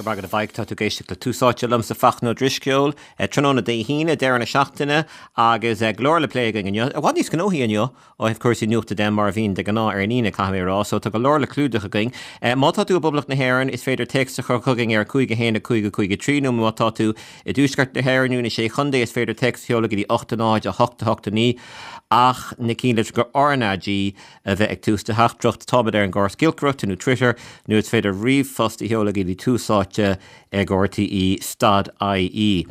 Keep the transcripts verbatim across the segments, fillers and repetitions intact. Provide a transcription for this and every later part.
Go breá go bhfaigh tá tú ag éisteacht le Tús Áite liomsa Fachtna Ó Drisceoil, tráthnóna Dé hAoine deireadh na seachtaine agus go leor le plé againn inniu. I bhfad níos gnóthaí inniu ó thaobh cúrsaí nuachta de mar a bhíonn de ghnáth ar an Aoine caithfidh mé a rá, so tá go leor le clúdach againn. Má tá tú i bPoblacht na hÉireann is féidir téacs a chur chugainn ar cúig a haon a cúig a cúig a trí nó má tá tú i dtuaisceart na hÉireann nó na sé chontae is féidir téacs a sheoladh go dtí ocht a náid a hocht a hocht a naoi ach na cinnlitreacha RnaG a bheith ag tús do theachtaireacht táimid ar an gcóras giolcaireachta nó Twitter nó is féidir ríomhphost a sheoladh go dtí tús áite ag RTÉ dot IE.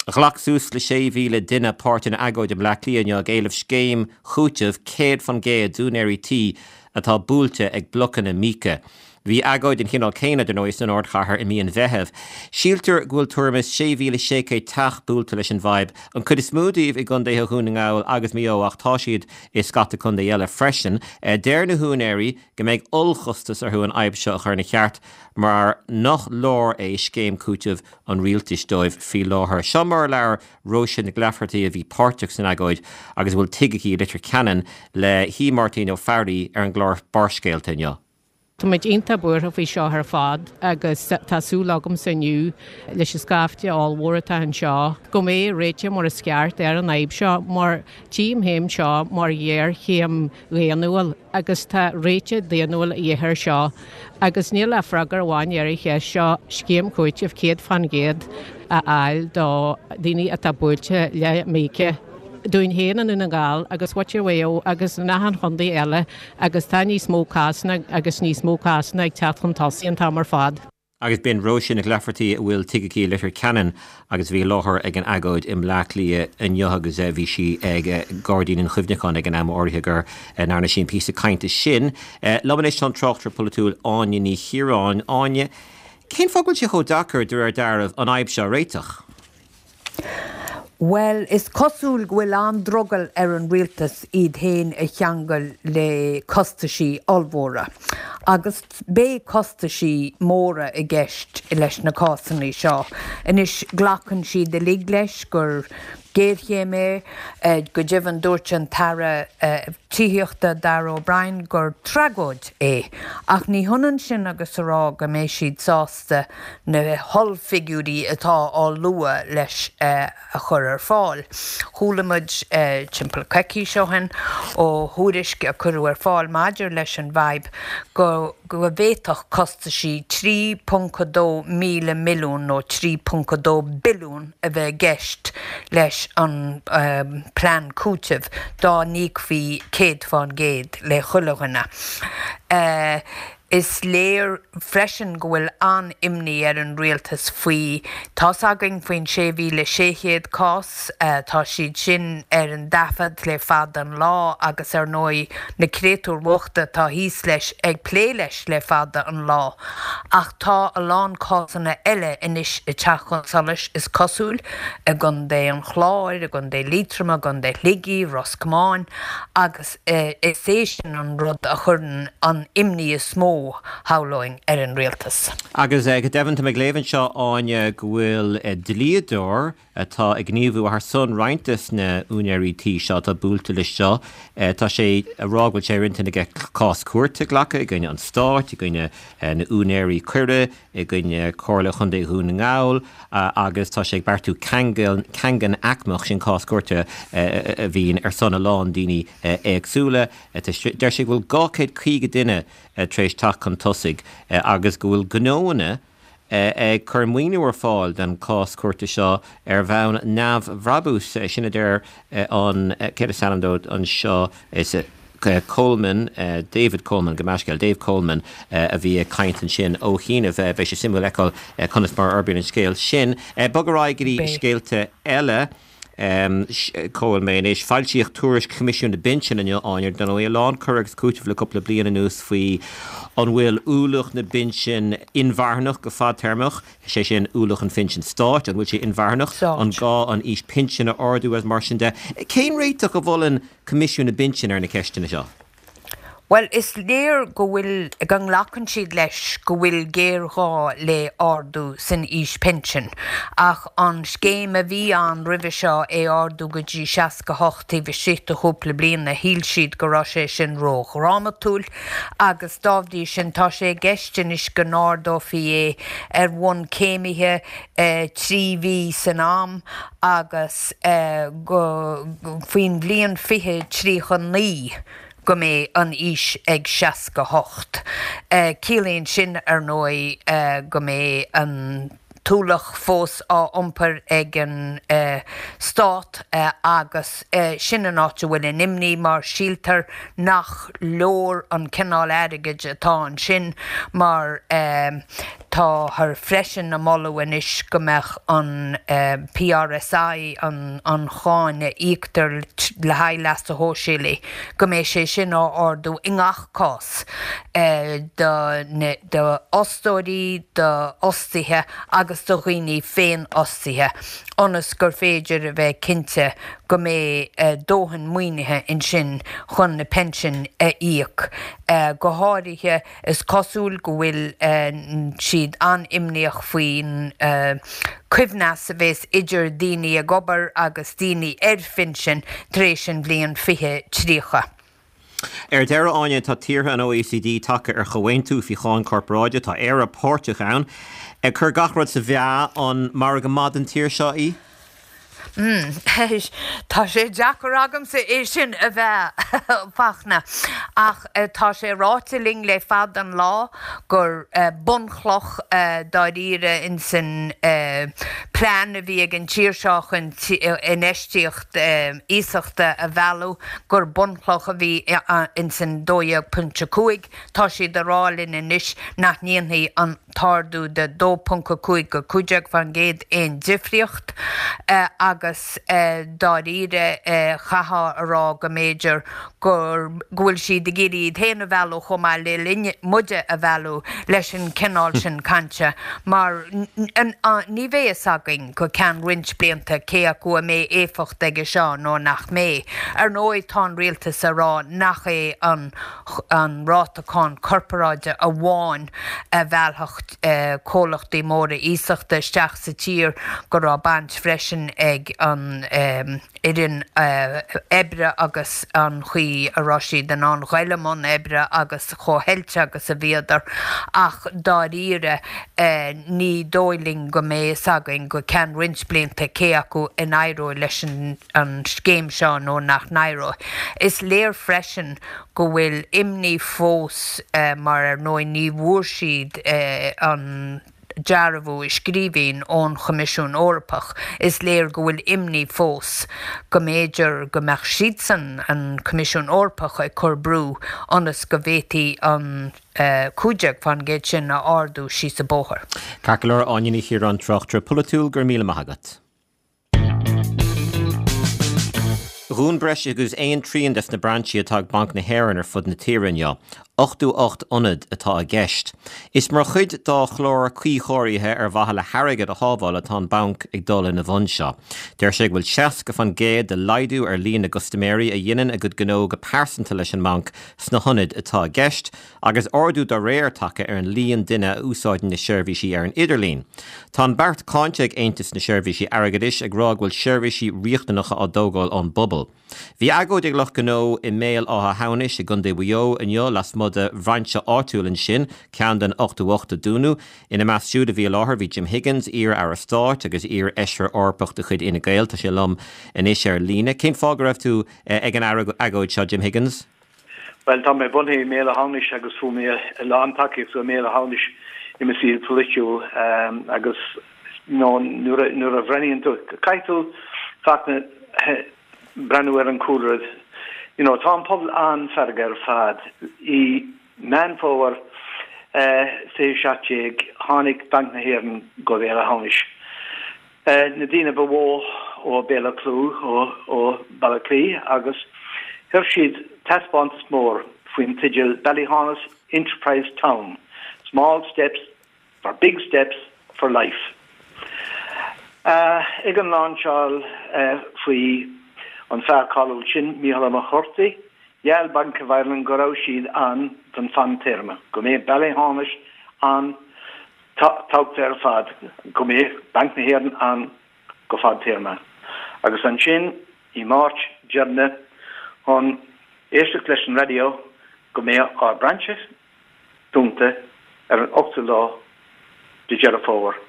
Ghlac suas le sé mhíle duine páirt in agóid i mBleá Cliath inniu ag éileamh scéim chúitimh céad faoin gcéad d'úinéirí tí atá buailte ag blocanna míoca. Bhí agóid den chineál céanna dar ndóigh san ardchathair i mí an Mheithimh. Síltear go bhfuil tuairim is sé mhíle sé chéad teach buailte leis an bhfadhb, an chuid is mó díobh i gContaetha Dhún na nGall agus Maigh Eo ach tá siad i scata contae eile freisin. Deir na húinéirí go mbeidh ollchostas orthu an fhadhb seo a chur ina cheart mar nach leor é scéim cúitimh an rialtais dóibh faoi láthair. Seo mar a labhair Róise Nic Laifeartaigh a bhí páirteach san agóid agus a bhfuil tigh aici i Leitir Ceanainn le hAodh Máirtín Ó Fearraigh ar an gclár Barrscéalta inniu. Tá muid iontach buartha faoi seo ar fad agus tá súil agamsa inniu leis an scaifte ollmhór atá anseo go mbeidh réiteach mar is ceart ar an fhadhb seo mar tchím féin seo mar ghéarchéim dhaonnúil agus tá réiteach daonnúil a dhíth air seo agus níl ach freagra amháin ar an cheist seo scéim chúitimh céad faoin gcéad a fháil do dhaoine atá buailte le míoca. Dúinn féin i nDún na nGall agus muintir Mhaigh Eo agus in achan chontae eile agus tá níos mó cásanna agus níos mó cásanna ag teacht chun tosaigh an t-am ar fad. Agus b'in Róise Nic Laifeartaigh a bhfuil tigh aici i Leitir Ceanainn agus a bhí i láthair ag an agóid i mBleá Cliath inniu agus bhí sí ag Gairdín an Chuimhneacháin ag an am áirithe go ndearna sí an píosa cainte sin. Liom anois tá an tráchtaire polaitiúil Áine Ní Chiaráin. Áine, cén fáth go bhfuil sé chomh deacair de réir dealraimh an fhadhb seo a réiteach? Bhuel, is cosúil go bhfuil an-drogall ar an rialtas iad féin a cheangal le costaisí ollmhóra. Agus beidh costaisí móra i gceist leis na cásanna seo. Anois, glacann siad uilig leis gur géarchéim é. Go deimhin, dúirt an tAire Tithíochta Darragh O'Brien gur tragóid é. Ach ní hionann sin agus a rá go mbeidh siad sásta na hollfhigiúirí atá á lua leis a chur ar fáil. Chuala muid timpeall coicís ó shin ó thuairisc a cuireadh ar fáil maidir leis an bhfadhb go go bhféadfadh costaisí trí ponc a dó míle milliún nó trí ponc a dó billiún a bheith i gceist leis an bplean cúitimh dá n-íocfaí céad fán gcéad le chuile dhuine. Is léir freisin go bhfuil an-imní ar an rialtas faoi. Tá's againn faoin sé mhíle sé chéad cás, tá siad sin ar an dtaifead le fada an lá agus ar ndóigh na créatúir bhochta atá thíos leis ag plé leis le fada an lá. Ach tá a lán cásanna eile anois ag teacht chun solais, is cosúil, i gContae an Chláir, i gContae Liatroma, i gContae Shligigh, Ros Comáin agus is é sin an rud a chuireann an imní is mó, shamhlóinn, ar an rialtas. Agus go deimhin, tá mé ag léamh anseo, Áine, go bhfuil dlíodóir atá ag gníomhú ar son roinnt de na húinéirí tí seo atá buailte leis seo, tá sé ag rá go bhfuil sé ar intinn aige cás cúirte a ghlacadh i gcoinne an stáit, i gcoinne na úinéirí coire, i gcoinne Comhairle Chontae Dhún na nGall agus tá sé ag beartú caingean aicmeach, sin cás cúirte a bhíonn ar son a lán daoine éagsúla. Deir sé go bhfuil dhá chéad caoga duine tar éis teacht chun tosaigh agus go bhfuil gnóanna ag cur maoiniú ar fáil don chás cúirte seo ar bhonn neamhbhrabúis. Sin a deir an, céard is ainm dó anseo, is Coleman, David Coleman, gabh mo leithscéal, Dave Coleman a bhí ag caint ansin ó chianaibh. Beidh sé suimiúil fheiceáil conas mar a fhorbraíonn an scéal sin. Bog ar aghaidh go dtí scéalta eile. Cá bhfuil mé anois? Foilsíodh tuairisc Choimisiún na bPinsean inniu, Áine, dar ndóigh, a lán cur agus cúiteamh le cúpla bliain anuas faoi an bhfuil ualach na bpinsean inmharthanach go fadtéarmach, sé sin, ualach an phinsin stáit, an bhfuil sé inmharthanach, an gá an aois pinsin a ardú agus mar sin de. Cén réiteach a mholann Coimisiún na bPinsean ar na ceisteanna seo? Bhuel, is léir go bhfuil, go nglacann siad leis go bhfuil géarghá le ardú san aois pinsin, ach an scéim a bhí ann roimhe seo, é ardú go dtí seasca hocht taobh istigh de chúpla bliana, shíl siad go raibh sé sin ródhrámatúil agus dá bhrí sin tá sé i gceist anois go n-ardófaí é ar bhonn céimithe trí mhí san am agus go faoin bhliain fiche tríocha naoi. go mbeidh an aois ag seasca hocht. Ciallaíonn sin, ar ndóigh, go mbeidh an t-ualach fós á iompar ag an Stát agus sin an áit a bhfuil an imní mar síltear nach leor an cineál airgid atá ansin mar Táthar freisin ag moladh anois go mbeadh an PRSI, an cháin a íoctar le haghaidh leasa shóisialaigh, go mbeidh sé sin á ardú i ngach cás d'fhostóirí, d'fhostaithe agus do dhaoine féinfhostaithe ionas gur féidir a bheith cinnte go mbeidh dóthain maoinithe ansin chun na pinsin a íoc. Go háirithe, is cosúil go bhfuil siad an-imníoch faoin choibhneas a bheas idir daoine ag obair agus daoine ar phinsin tar éis an bhliain fiche tríocha. Ar deireadh, Áine, tá tíortha an OECD tagtha ar chomhaontú faoi cháin corparáide, tá Éire páirteach ann. Ag cur gach rud sa mheá, an margadh maith don tír seo í? Tá sé deacair agamsa é sin a mheá, a Fhachtna, ach tá sé ráite linn le fada an lá gur bunchloch dáiríre insan plean a bhí ag an tír seo chun infheistíocht iasachta a mhealladh, gur bunchloch a bhí insan dó dhéag pointe cúig. Tá siad ag rá linn anois nach ndéanfaidh an t-ardú de dó ponc a cúig go cúig déag faoin gcéad aon difríocht agus dáiríre chaithfeá a rá go mb'fhéidir gur go bhfuil siad ag iarraidh iad féin a mhealladh chomh maith le linn muide a mhealladh leis an cineál sin cainte mar ní bheidh fhios againn go ceann roinnt blianta cé acu a mbeidh éifeacht aige seo nó nach mbeidh. Ar ndóigh tá an rialtas a rá nach é an an ráta cáin corparáide amháin a mheallfadh comhlachtaí móra iasachta isteach sa tír, go raibh baint freisin ag an fhoireann oibre agus an chaoi a raibh siad in ann dul i mbun oibre agus chomh hoilte agus a bhíodar. Ach dáiríre, ní dóigh linn go mbeidh fhios againn go ceann roinnt blianta cé acu a n-éireoidh leis an scéim seo nó nach n-éireoidh. Is léir freisin go bhfuil imní fós mar ar ndóigh ní bhfuair siad an dearbhú i scríbhinn ón Choimisiún Eorpach, is léir go bhfuil imní fós go mb'fhéidir go mbeadh siadsan, an Coimisiún Eorpach, ag cur brú ionas go bhféadfaí an cúig déag faoin gcéad sin a ardú síos an bóthar. Ceart go leor, Áine Ní Chiaráin, tráchtaire polaitiúil, go raibh míle maith agat. Dhún breis agus aon trian des na brainsí atá ag Banc na hÉireann ar fud na tíre inniu. ochtó ocht ionad atá i gceist. Is mar chuid dá chlár cuíchóirithe ar mhaithe le hairgead a shábháil atá an banc ag dul ina bhun seo. Deir sé go bhfuil seasca faoin gcéad de laghdú ar líon na gcustaiméirí a dhéanann a gcuid gnó go pearsanta leis an mbanc sna hionaid atá i gceist, agus ardú dá réir tagtha ar an líon duine a úsáideann na seirbhísí ar an idirlíon. Tá an beart cáinte ag Aontas na Seirbhísí Airgeadais ag rá go bhfuil seirbhísí riachtanacha á dtógáil ón bpobal. Bhí agóid ag lucht gnó i mBéal Átha hAmhnais i gContae Mhaigh Eo inniu lasmuigh de bhrainse áitiúil ansin, ceann den ochtó ocht a dúnadh. Ina measc siúd a bhí i láthair bhí Jim Higgins, iar-aire stáit agus iar-fheisire Eorpach de chuid Fhine Gael. Tá sé liom anois ar líne. Cén fáth go raibh tú ag an agóid seo, Jim Higgins? Bhuel, tá mé bunaithe i mBéal Átha hAmhnais agus fuair mé a lán tacaíochta i mBéal Átha hAmhnais i mo saol polaitiúil agus nuair a nuair a bhreathnaíonn tú, caithfidh tú Fachtna breathnú ar an cúlra. You know, tá an pobal an-fheargach ar fad. I Meán Fómhair fiche seacht déag tháinig Banc na hÉireann go Béal Átha hAmhnais. Na daoine ba mhó ó Béal Átha Cliath, ó Baile Átha Cliath agus chuir siad taispeántas mór faoin teideal Ballyhaunis Enterprise Town, Small Steps for Big Steps for Life. Ag an lainseáil faoi an fear cáiliúil sin, Mícheál Ó Muircheartaigh, Gheall Bank of Ireland go raibh siad ann don fadtéarma, go mbeadh Béal Átha hAmhnais ann tábhachtach ar fad, go mbeadh Banc na hÉireann ann go fadtéarma. Agus ansin i Máirt deireanach chun éisteacht leis an raidió go mbeadh ár brainse dúnta ar an ochtú lá de Dheireadh Fómhair.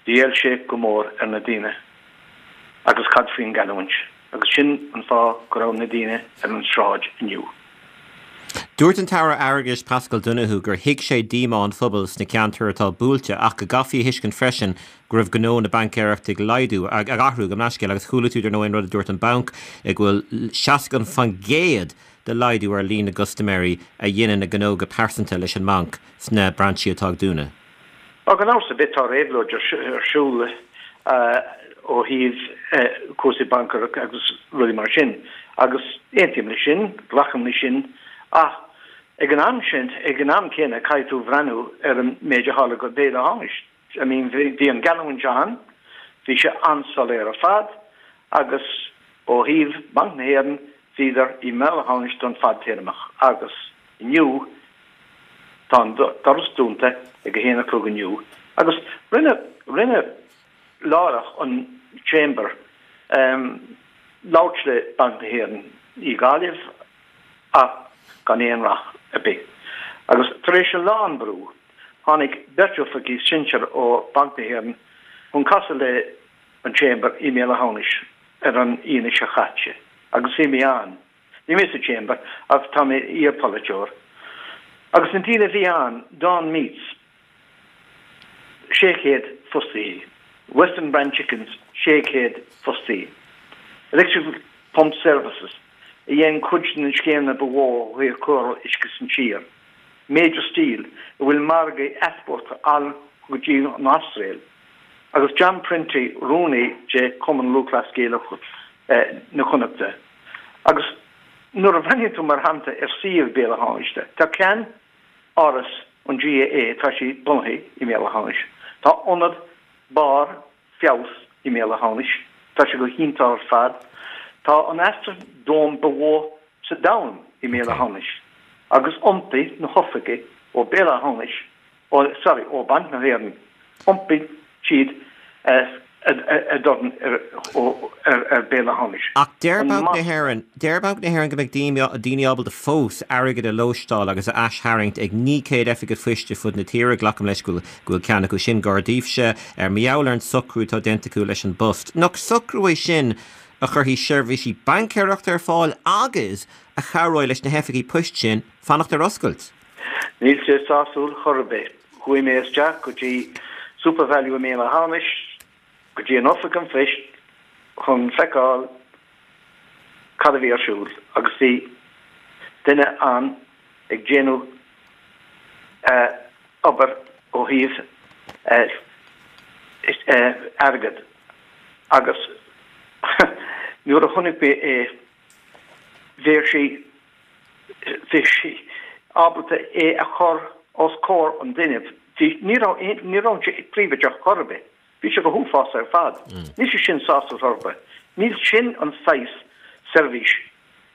Bhuail sé go mór ar na daoine. Agus cad faoin ggeallúint? Agus sin an fáth go raibh na daoine ar an sráid inniu. Dúirt an tAire Airgeadais Paschal Donohoe gur thuig sé díomá an phobail sna ceantair atá buailte ach go gcaithfí a thuiscint freisin go raibh gnó na baincéireachta ag laghdú, ag athrú gabh mo leithscéal agus chuala tú dar ndóigh an rud a dúirt an banc go bhfuil seasca faoin gcéad de laghdú ar líon na gcustaiméirí a dhéanann a ngnó go pearsanta leis an mbanc sna brainsí atá ag dúnadh. Á, gan amhras ar bith tá réabhlóid ar siúl ó thaobh cúrsaí baincéireachta agus rudaí mar sin agus aontaím leis sin, glacaim leis sin ach ag an am sin, ag an am céanna caithfidh tú bhreathnú ar an méid a tharla go Béal Átha hAmhnais. I mean bhí an gheallúint ann, bhí sé an-soiléir ar fad agus ó thaobh Banc na hÉireann bhíodar i mBéal Átha hAmhnais don fadtéarmach agus inniu Tá an doras dúnta ag a haon a chlog inniu agus rinne rinne láithreach an Chamber labhairt le Banc na hÉireann i Gaillimh ach gan aon rath ar bith. Agus tar éis a lán brú, tháinig beirt oifigigh sinsir ó Banc na hÉireann chun casadh le an Chamber i mBéal Átha hAmhnais ar an Aoine seo chaite agus bhí mé ann. Ní mé sa Chamber ach tá mé iar-pholaiteoir. Agus na daoine a bhí ann, Dawn Meats, sé chéad fostaí, Western Brand Chickens, sé chéad fostaí, Electrical Pump Services, a dhein cuid de na scéimeanna ba mhó ó thaobh cóireáil uisce san tír, Major Steel, a bhfuil margaí easpórtála ann go dtí an Astráil, agus John Prenty, rúnaí de Chumann Lúthchleas Gaelach na Connachta. Agus nuair a bhreathnaíonn tú mar shampla ar suíomh Béal Átha hAmhnais, tá ceann-áras an GAA, tá sé bunaithe i mBéal Átha hAmhnais. Tá ionad barr feabhas i mBéal Átha hAmhnais, tá sé go hiontach ar fad. Tá an Astrodome ba mhó sa domhan i mBéal Átha hAmhnais agus iompaigh na hoifigí ó Béal Átha hAmhnais ó sorry ó Banc na hÉireann, iompaigh siad a dorn ar Béal Átha hAmhnais. Ach deir Banc na hÉireann, deir Banc na hÉireann go mbeidh daoine ábalta fós airgead a lóisteáil agus a aistharraingt ag naoi gcéad oifig an phoist ar fud na tíre, glacaim leis go bhfuil ceann acu sin gar daoibhse, ar mar gheall ar an socrú atá déanta acu leis an bpost. Nach socrú é sin a chuirfidh seirbhísí baincéireachta ar fáil agus a chabhróidh leis na hoifigí poist sin fanacht ar oscailt? Níl sé sásúil chor ar bith. Chuaigh mé isteach go dtí SuperValu i mBéal Átha hAmhnais, go dtí an oifig an phoist chun feiceáil cad a bhí ar siúl agus bhí duine ann ag déanamh obair ó thaobh airgead agus nuair a chonaic mé é bhí sé bhí sé ábalta é a chur os comhair an duine. Bhí, ní raibh, ní raibh sé príobháideach chor ar bith. Bhí sé go huafásach ar fad. Níl sé sin sásúil chor ar bith. Níl sin an saghas seirbhís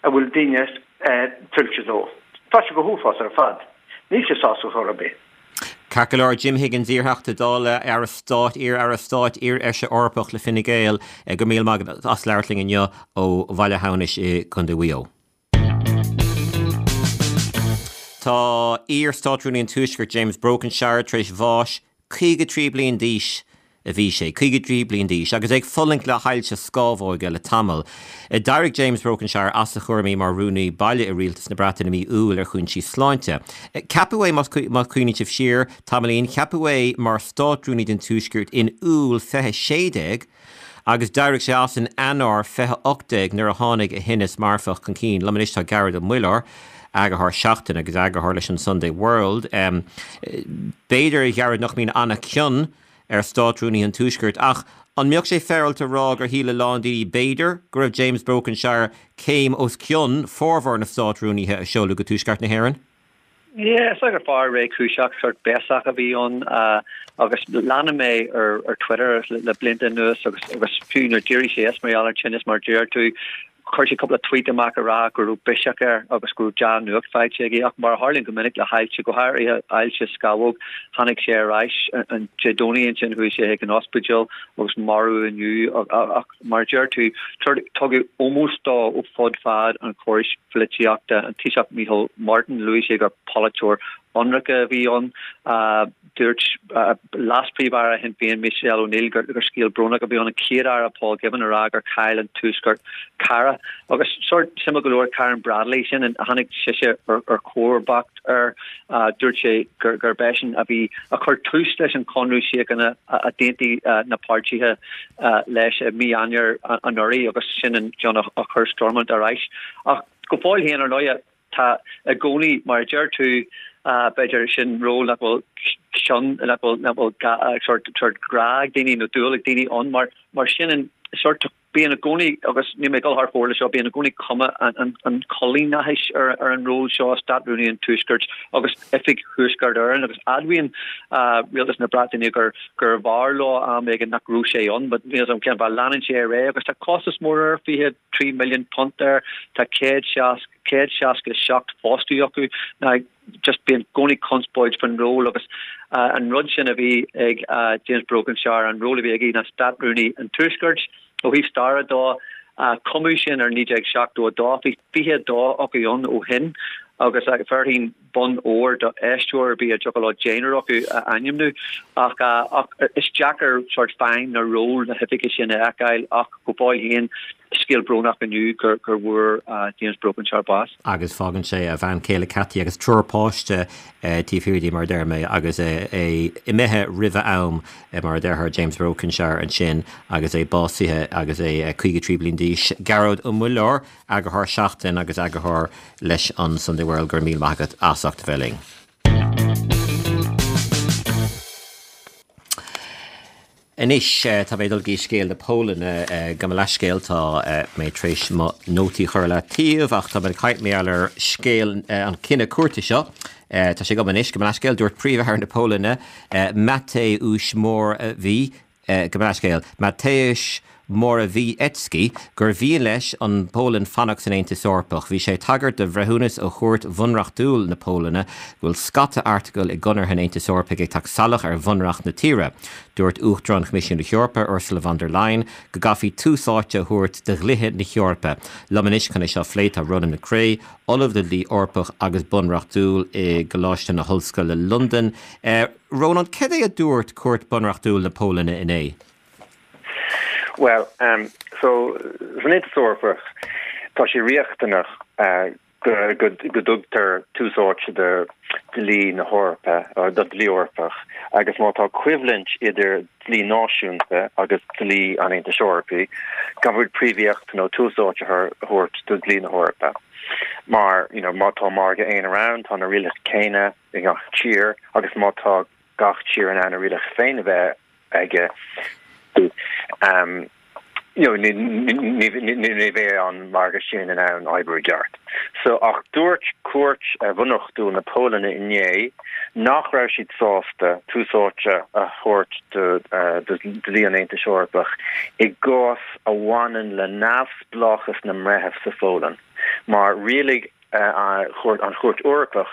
a bhfuil daoine tuillte dó. Tá sé go huafásach ar fad. Níl sé sásúil chor ar bith. Ceart go leor, Jim Higgins, iarTheachta Dála, Aire Stáit, iar-Aire Stáit, iar-Fheisire Eorpach le Fine Gael, go raibh míle maith agat as labhairt linn inniu ó Bhaile Átha Hamhnais i gContae Mhaigh Eo. Tá iar-Státrúnaí an Tuaiscirt James Brokenshire tar éis bháis, caoga trí bliain d'aois a bhí sé, caoga trí bliain d'aois, agus é ag fulaingt le hailse scámhóige le tamall. D'éirigh James Brokenshire as a chúraimí mar Rúnaí Baile i Rialtas na Breataine i mí Iúil ar chúinsí sláinte. Ceapadh é, más cuimhníonn sibh siar tamaillín, ceapadh é mar Státrúnaí don Tuaisceart in Iúil fiche sé déag, Agus d'éirigh sé as in Eanáir fiche ocht déag nuair a tháinig a thinneas marfach chun cinn. Liom anois tá Gearóid Ó Muilleoir, eagarthóir Seachtain agus eagarthóir leis an Sunday World. B'fhéidir, a Ghearóid, nach mbíonn an-chion ar Státrúnaithe an Tuaiscirt ach an mbeadh sé féaráilte a rá gur shíl a lán daoine b'fhéidir go raibh James Brokenshire céim os cionn formhór na Státrúnaithe a seoladh go Tuaisceart na hÉireann? Yeah, is dóigh gur fear réchúiseach, sórt béasach a bhí ann agus leanaim é ar ar Twitter le blianta anuas agus agus fiú nuair d'éirigh sé as mar gheall ar tinneas mar deir tú, Chuir sé cúpla tweet amach a rá go raibh biseach air agus go raibh dea-nuacht faighte aige ach mar a tharlaíonn go minic le hailse go háirithe ailse scamhóg tháinig sé ar ais an Dé Domhnaigh ansin chuaigh sé chuig an ospidéal agus maraíodh inniu ach mar a deir tú tugadh ómós dó ó fud fad an chórais pholaitíochta an Taoiseach Micheál Martin luaigh sé gur polaiteoir ionraic a bhí ann. Dúirt Leas-Phríomh-Aire Shinn Féin Michelle O'Neill gur scéal brónach a bhí ann, an Chéad-Aire Paul Givan a rá gur chaill an Tuaisceart cara. Agus sórt suimiúil go leor Karen Bradley sin a tháinig sise ar chomharbacht air, dúirt sé gurb eisean a bhí a chuir tús leis an chonradh síochána a d'aontaigh na páirtithe leis i mí Eanáir anuraidh agus sin an ceann a chuir Stormont ar ais. Ach go fóill féin ar ndóigh, Tá i gcónaí, mar a deir tú, b'fhéidir sin ról nach bhfuil cion, nach bhfuil, nach bhfuil sórt, sórt grá ag daoine nó dúil ag daoine ann mar, mar sin an sórt, bíonn i gcónaí, agus níl mé ag dul thar fóir leis seo, bíonn i gcónaí cuma an, an, an choilíneachais ar, ar an ról seo, Stát-Rúnaí an Tuaiscirt agus Oifig Thuaisceart Éireann agus admhaíonn Rialtas na Breataine gur, gurbh fhearr leo am éigin nach raibh sé ann, but níl a fhios agam cén fáth, leanann sé ar aghaidh agus tá costas mór air, fiche trí milliún punt air, tá céad seasca, céad seasca seacht fostaí acu. Now, just bíonn i gcónaí conspóid faoin ról agus an rud sin a bhí ag James Brokenshire, an ról a bhí aige ná Stát-Rúnaí an Tuaiscirt. Ó thaobh staire dó, cumadh sin ar naoi déag seachtó a dó, bhí fiche a dó acu ann ó shin agus bhéarfainn bonn óir do aisteoir ar bith a dtiocfadh leo deichniúr acu a ainmniú. Ach is deacair sórt feidhm nó ról na hoifige sin a fheiceáil ach go fóill féin, Scéal brónach inniu gur bhfuair James Brokenshire bás. Agus fágann sé a bhean chéile Cathy agus triúr páiste taobh thiar de mar a deir mé agus é imithe roimh a am mar a déarfá James Brokenshire ansin agus é básaithe agus é caoga trí bliain d'aois. Gearóid Ó Muilleoir, Eagarthóir Seachtain agus Eagarthóir leis an Sunday World, go raibh míle maith agat as ucht a bheith linn. Anois, tá mé ag dul go dtí scéal na Polainne. Gabh mo leithscéal, tá mé tar éis mo nótaí a chur ar leataobh ach tá mé ag caint mar gheall ar scéal an cinneadh cúirte seo. Tá sé agam anois, gabh mo leithscéal, dúirt Príomh-Aire na Polainne, Mateusz Morawiecki, Gabh mo leithscéal, Mateusz Morawiecki, gur mhian leis an bPolainn fanacht san Aontas Eorpach. Bhí sé ag tagairt do bhreithiúnas ó Chúirt Bhunreachtúil na Polainne go bhfuil scata airteagal i gConartha an Aontais Eorpaigh ag teacht salach ar bhunreacht na tíre. Dúirt Uachtarán Choimisiún na hEorpa, Ursula von der Leyen, go gcaithfí tús áite a thabhairt do dhlíthe na hEorpa. Liom anois chun é seo a phlé tá Ronan McCrea, Ollamh le Dlí Eorpach agus Bunreachtúil i gColáiste na hOllscoile Londain. Ronan, cad é a dúirt Cúirt Bunreachtúil na Polainne inné? Bhuel, so, san Aontas Eorpach, tá sé riachtanach go dtugtar tús áite do dhlí na hEorpa, do dhlí Eorpach, agus má tá coimhlint idir dlí náisiúnta agus dlí an Aontais Eorpaigh, caithfidh príomhaíocht nó tús áite a thabhairt do dhlí na hEorpa. Mar, you know, má tá margadh aonair ann, tá na rialacha céanna i ngach tír, agus má tá gach tír in ann a rialacha féin a bheith aige, you know, ní bheidh an margadh sin in ann oibriú i gceart. So, ach dúirt Cúirt Bhunreachtúil na Polainne inné nach raibh siad sásta tús áite a thabhairt do dhlí an Aontais Eorpaigh i gcás a bhaineann le neamhspleáchas na mbreitheamh sa Pholainn, mar rialaigh an Chúirt Eorpach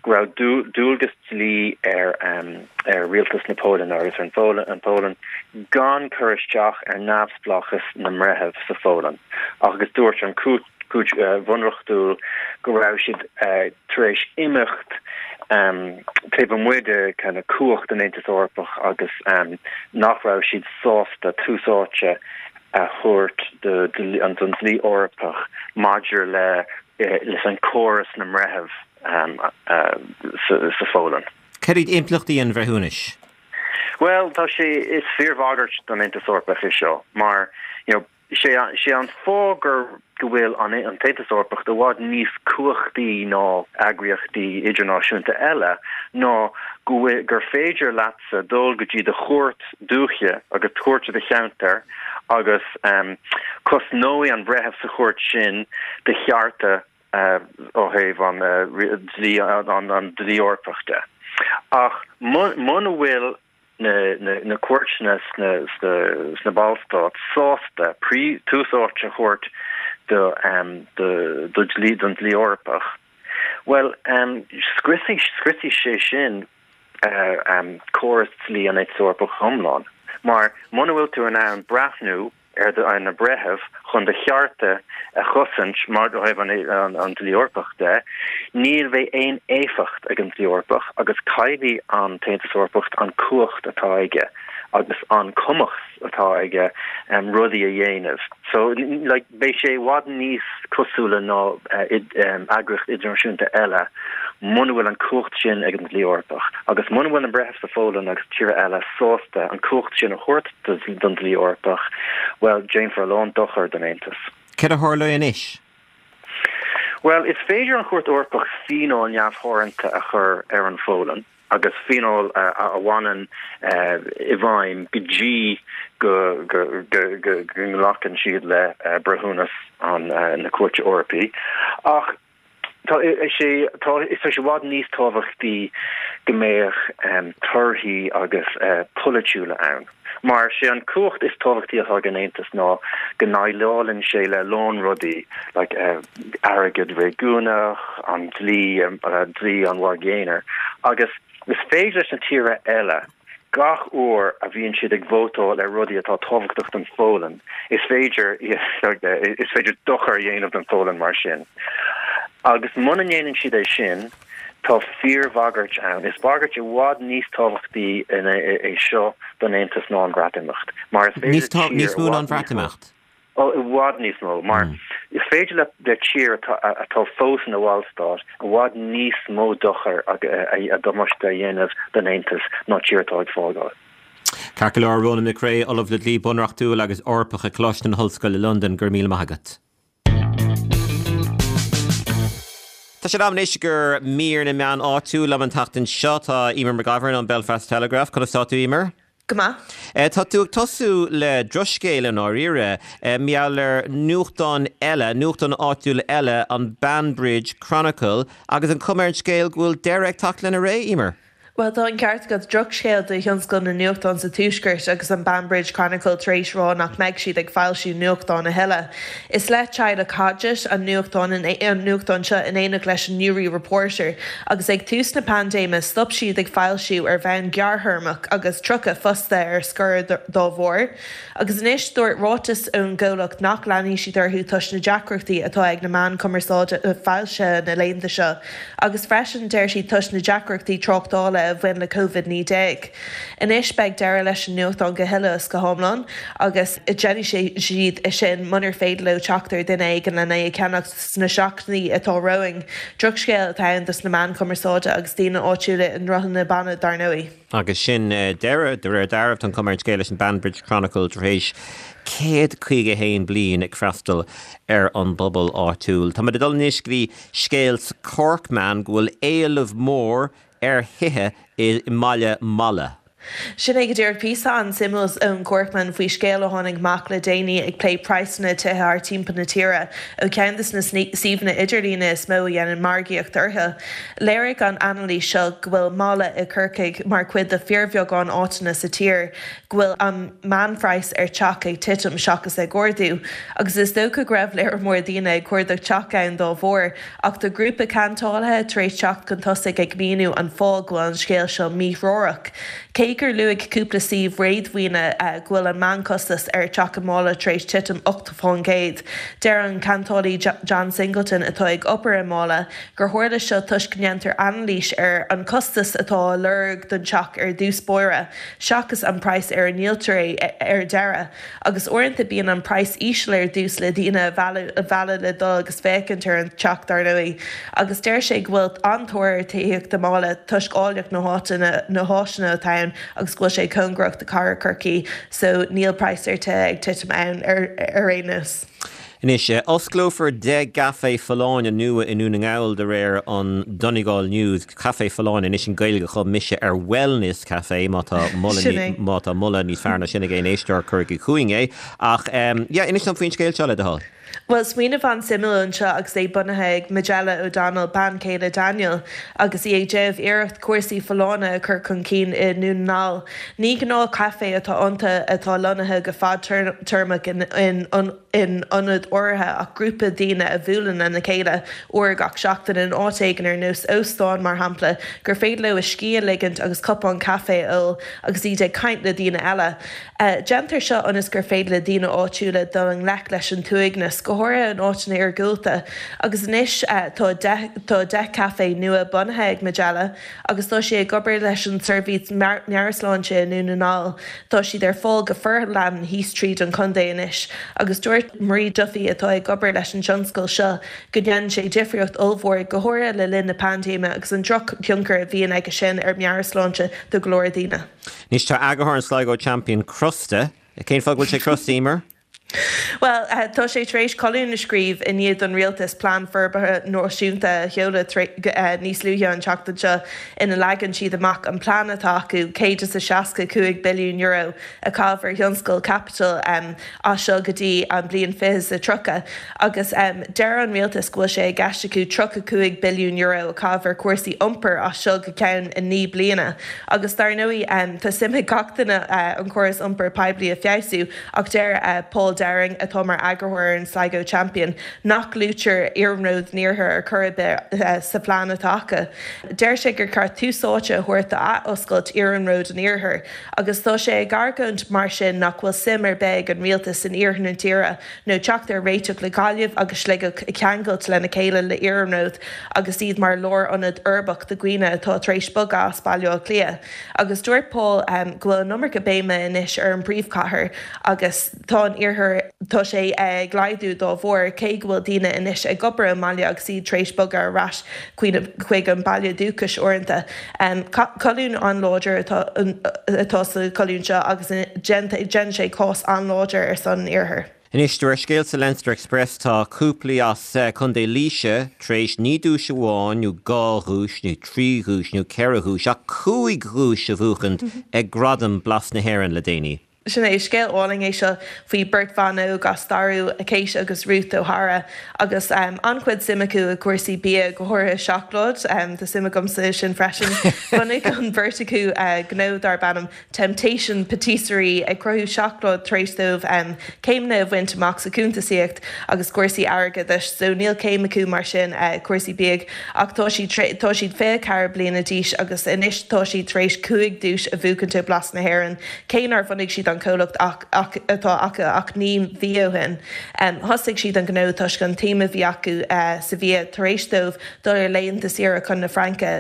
go raibh dualgas dlí ar rialtas na Polainne agus ar an Pholainn gan cur isteach ar neamhspleáchas na mbreitheamh sa Pholainn agus dúirt an Chúirt Bhunreachtúil go raibh siad tar éis imeacht taobh amuigh de kind of cumhacht an Aontais Eorpach agus nach raibh siad sásta tús áite a thabhairt don dlí Eorpach maidir le leis an córas na mbreitheamh sa Pholainn. Cad iad impleachtaí an bhreithiúnais? Bhuel, tá sé, is fíorbhagairt don Aontas Eorpach é seo mar, you know, sé sé an fáth gur go bhfuil an an tAontas Eorpach i bhfad níos cumhachtaí ná eagraíochtaí idirnáisiúnta eile ná go bhfuil gur féidir leatsa dul go dtí do chúirt dúiche agus cúirt i do cheantar agus cosnóidh an breitheamh sa chúirt sin do chearta ó thaobh an dlí an dlí Eorpach de. Ach muna bhfuil na cúirteanna sna Ballstáit sásta tús áite a thabhairt do do dlí don dlí Eorpach, well um, scriosfaidh scriosfaidh sé sin uh, um, córas dlí an Aontais Eorpach iomlán. Mar muna bhfuil tú in ann breathnú ar do ar na breithimh chun do chearta a chosaint mar ó thaobh an, an, an dlí Eorpach de, níl bheidh aon éifeacht ag an dlí Eorpach agus caillfidh an tAontas Eorpach an cumhacht atá aige agus an cumas atá aige um, rudaí a dhéanamh. So like, beidh sé i bhfad níos cosúla ná uh, id, um, eagraíocht idirnáisiúnta eile muna bhfuil an cumhacht sin ag an dlí Eorpach. Agus muna bhfuil an breitheamh sa Pholainn agus tíortha eile sásta an cumhacht sin a thabhairt don dlí Eorpach, well déanfar a lán dochar don Aontas. Céard a tharlóidh anois? Well, is féidir an Chúirt Eorpach fíneáil neamhtheoranta a chur ar an Pholainn agus fíneáil a bhaineann i bhfeidhm go dtí go nglacann siad le breithiúnas na Cúirte Eorpaí. Ach tá sé tá is sé i bhfad níos tábhachtaí go mbeadh torthaí agus polaitiúla ann. Mar sé an cumhacht is tábhachtaí atá ag an Aontas ná go ndéileálann sé le lán rudaí like, uh, airgead réigiúnach, an dlí um, uh, dlí an mhargaidh aonair agus is féidir leis na tíortha eile gach uair a bhíonn siad ag vótáil ar rudaí atá tábhachtach don Pholainn, is féidir is féidir dochar a dhéanamh don Pholainn mar sin. Agus muna ndéanann siad é sin, tá fíorbhagairt ann. Is bagairt i bhfad níos tábhachtaí é seo don Aontas ná an Bhreatimeacht. Mar is féidir níos mó ná an Bhreatimeacht. Ó i bhfad níos mó, mar mm. is féidir le le tír atá fós ina bhallstát i bhfad níos mó dochar a damáiste a dhéanamh don Aontas ná tír atá ag fágáil. Ceart go leor Ronan McCrea, Ollamh le Dlí Bunreachtúil agus Eorpach ag Coláiste na hOllscoile Londain go raibh míle maith agat. Tá sé in am anois do mhír na meán áitiúil liom an tseachtain seo tá Eimear McGovern ón Belfast Telegraph, conas tá tú Eimear? Go maith. Tá tú ag tosú le drochscéal i ndáiríre, mar gheall ar nuachtán eile, nuachtán áitiúil eile, an Banbridge Chronicle, agus an chuma ar an scéal go bhfuil deireadh ag teacht lena ré, Eimear. Bhuel, tá an ceart agat, drochscéal do thionscal na nuachtán sa Tuaisceart agus an Banbridge Chronicle tar éis rá nach mbeidh siad ag foilsiú nuachtán a thuilleadh. Is le teaghlach Hodgett an nuachtán an nuachtán seo in éineacht leis an Newry Reporter agus ag tús na paindéime stop siad ag foilsiú ar bhonn gearrthéarmach agus tríocha fostaí ar scor dá bharr. Agus anois dúirt ráiteas ón gcomhlacht nach leanfaidh siad orthu toisc na deacrachtaí atá ag na meáin cumarsáide foilsithe na laethanta seo agus freisin deir siad toisc na deacrachtaí tráchtála a bhain le Covid naoi déag. Anois beidh deireadh leis an nuachtán go huile is go hiomlán agus déanfaidh siad é sin munar féidir leo teacht ar duine éigin lena é a cheannacht sna seachtainí atá romhainn. Drochscéal atá ann dos na meáin chumarsáide agus daoine áitiúla i nDroichead na Banna dar ndóigh. Agus sin deireadh, de réir dealraimh, tá an chuma ar an scéal leis an Banbridge Chronicle tar éis céad caoga a haon bliain ag freastal ar an bpobal áitiúil. Táimid ag dul anois go dtí scéal sa Corkman go bhfuil éileamh mór ar thithe i mbaile Mala. Sin é go díreach píosa an-suimiúil ón Corkman faoi scéal a tháinig amach le déanaí ag plé praghsanna tithe thart timpeall na tíre ó cheann de na suíomhanna idirlíne is mó a dhéanann margaíocht orthu. Léirigh an anailís seo go bhfuil Mala i gCorcaigh mar chuid de fíorbheagán áiteanna sa tír go bhfuil an meánphraghas ar teach ag titim seachas ag ardú, agus is dócha go raibh léar mór daoine ag cuardach teach ann dá bharr. Ach tá grúpa ceantálaithe tar éis teacht chun tosaigh ag míniú an fáth go bhfuil an scéal seo míthreorach. Cé gur luaigh cúpla suíomh réadmhaoine go bhfuil an meánchostas ar teach i Mála tar éis titim ocht fán gcéad, deir an ceantálaí John Singleton, atá ag obair i Mála, gur tharla seo toisc go ndéantar anailís ar an chostas atá á lorg don teach ar dtús báire seachas an praghas ar a ndíoltar é ar deireadh. Agus uaireanta bíonn an praghas íseal ar dtús le daoine a mhealladh le dul agus féachaint ar an teach dar ndóigh. Agus deir sé go bhfuil an-tóir ar tithíocht i Mála toisc áilleacht na háite, na háiseanna atá ann agus go bhfuil sé cóngarach do chathair Chorcaí so níl praghas ar tithe ag titim ann ar aon nós. Anois, osclófar deich gcaifé folláine nua i nDún na nGall de réir an Donegal News. Caifé folláine, anois an Ghaeilge a chum mise ar wellness café, má tá moladh má tá moladh níos fearr ná sin ag aon éisteoir cuirigí chugainn é. Ach yeah, inis dom faoin scéal seo le do thoil. Bhuel, smaoineamh an-suimiúil anseo agus é bunaithe ag Majella O'Donnell, bean chéile Daniel, agus í ag déanamh iarracht cúrsaí folláine a chur chun cinn i nDún na nGall. Ní gnáth caifé atá iontu atá lonnaithe go fadtéarmach in in ionad áirithe ach grúpa daoine a bhuaileann lena chéile uair gach seachtain in áit éigin ar nós óstán mar shampla gur féidir leo a scíth a ligint agus cupán caife a ól agus iad ag caint le daoine eile. Déantar seo ionas gur féidir le daoine áitiúla dul i ngleic leis an t-uaigneas, go háirithe in áiteanna iargúlta. Agus anois tá deich tá deich caifé nua bunaithe ag Majella agus tá sí ag obair leis an tseirbhís meabhairshláinte i nDún na nGall. Tá siad ar fáil go forleathan thíos tríd an chontae anois agus dúirt Marie Duffy atá ag obair leis an tionscal seo go ndéanann sé difríocht ollmhór, go háirithe le linn na paindéime agus an drochthionchar a bhíonn aige sin ar mheabhairshláinte do go leor daoine. Anois tá eagarthóir an Sligo Champion crosta. Cén fáth go bhfuil sé crosta, Emer? Bhuel, tá sé tar éis colún a scríobh i ndiaidh don rialtas Plean Forbartha Náisiúnta a sheoladh níos luaithe an tseachtain seo ina leagann siad amach an plean atá acu céad is a seasca cúig billiún euro a chaitheamh ar thionscal caipitil as seo go dtí an bliain fiche is a tríocha agus deir an rialtas go bhfuil sé i gceist acu tríocha cúig billiún euro a chaitheamh ar chúrsaí iompair as seo go ceann naoi bliana agus dar ndóigh tá suim ag gach duine an córas iompair poiblí a feabhsú ach deir Paul Dowling atá mar eagarthóir ar an Sligo Champion nach luaitear iarnród an iarthair ar chor ar bith sa phlean atá acu. Deir sé gur ceart tús áite a thabhairt d'athoscailt iarnród an iarthair agus tá sé ag argóint mar sin nach bhfuil suim ar bith ag an rialtas in iarthar na tíre nó teacht ar réiteach le Gaillimh agus Sligeach a cheangailt lena chéile le iarnród agus iad mar lárionad uirbeach do dhaoine atá tar éis bogadh as Baile Átha Cliath. Agus dúirt Paul go bhfuil an iomarca béime anois ar an bpríomhchathair agus tá an iarthar tá sé ag laghdú dá bharr cé go bhfuil daoine anois ag obair i mbaile agus iad tar éis bogadh ar ais chuig an baile dúchais uaireanta. Colún an-láidir atá sa cholún seo agus déanann sé cás an-láidir ar son an iarthair. Anois, de réir scéil sa Leinster Express tá cúplaí as Contae Laoise tar éis ní duais amháin nó dhá dhuais nó trí dhuais nó ceithre dhuais ach cúig dhuais a bhuachaint ag Gradaim Blas na hÉireann le déanaí. Sin é, scéal álainn é seo faoi beirt bhan óg as Starú, Kate agus Ruth O'Hara, agus an-chuid suim acu i gcúrsaí bia, go háirithe seacláid. Tá suim agamsa sin freisin. Bhunaigh an bheirt acu gnó darb ainm Temptation Patisserie, ag cruthú seacláid tar éis dóibh céimeanna a bhaint amach sa chuntasaíocht agus cúrsaí airgeadais. So níl céim acu mar sin i cúrsaí bídh ach tá siad tá siad fiche ceathair bliana d'aois agus anois tá siad tar éis cúig duais a bhuachaint ó Blas na hÉireann, cé nár bhunaigh siad an comhlacht ach atá acu ach naoi mhí ó shin. Thosaigh siad an gnó toisc an tsuim a bhí acu sa bhia tar éis dóibh dul ar laethanta saoire chun na Fraince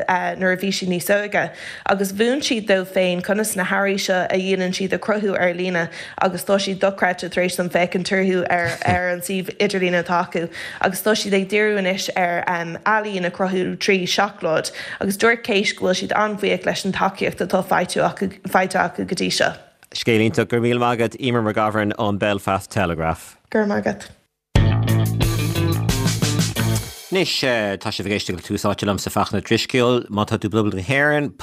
nuair a bhí siad níos óige, agus mhúin siad dóibh féin conas na hearraí seo a dhéanann siad a chruthú ar líne agus tá siad dochreidte tar éis dom féachaint orthu ar ar an suíomh idirlín atá acu agus tá siad ag díriú anois ar ealaín a chruthú trí seacláid agus dúirt Kate go bhfuil siad an-bhuíoch leis an tacaíocht atá faighte acu faighte acu go dtí seo. Scéal iontach. Go raibh míle maith agat, Emer McGovern ón Belfast Telegraph. Go raibh maith agat. Anois, tá sibh ag éisteacht le Tús Áite liomsa Fachtna Ó Drisceoil. Má tá tú i bPoblacht na hÉireann,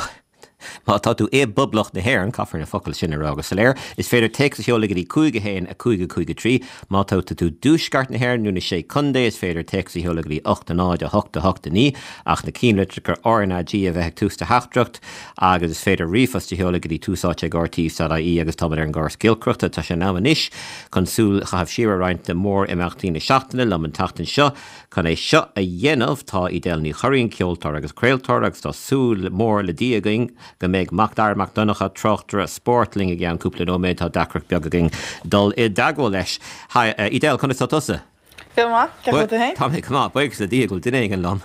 má tá tú i bPoblacht na hÉireann, caithfear na focail sin a rá go soiléir, is féidir téacs a sheoladh go dtí cúig a haon a cúig a cúig a trí. Má tá tú i dTuaisceart na hÉireann nó na Sé Contae, is féidir téacs a sheoladh go dtí ocht a náid a hocht a hocht a naoi, ach na ceannlitreacha RnaG a bheith ag tús do theachtaireacht. Agus is féidir ríomhphost a sheoladh go dtí tús áite ag rte dot ie agus táimid ar an gcóras giolcaireachta. Tá sé in am anois chun súil a chaitheamh siar ar roinnt de mhór-imeachtaí na seachtaine liom an tseachtain seo. Chun é seo a dhéanamh tá Edel Ní Churraoin, ceoltóir agus craoltóir, agus tá súil mhór le Dia againn go mbeidh Mac Dara Mac Donncha, tráchtaire spóirt, linn i gceann cúpla nóiméad. Tá deacracht beag againn dul i dteagmháil leis. Hi, Edel, conas tá tusa? Go maith, cén chaoi a bhfuil tú féin? Tá mé go maith, buíochas le Dia go bhfuil duine éigin liom.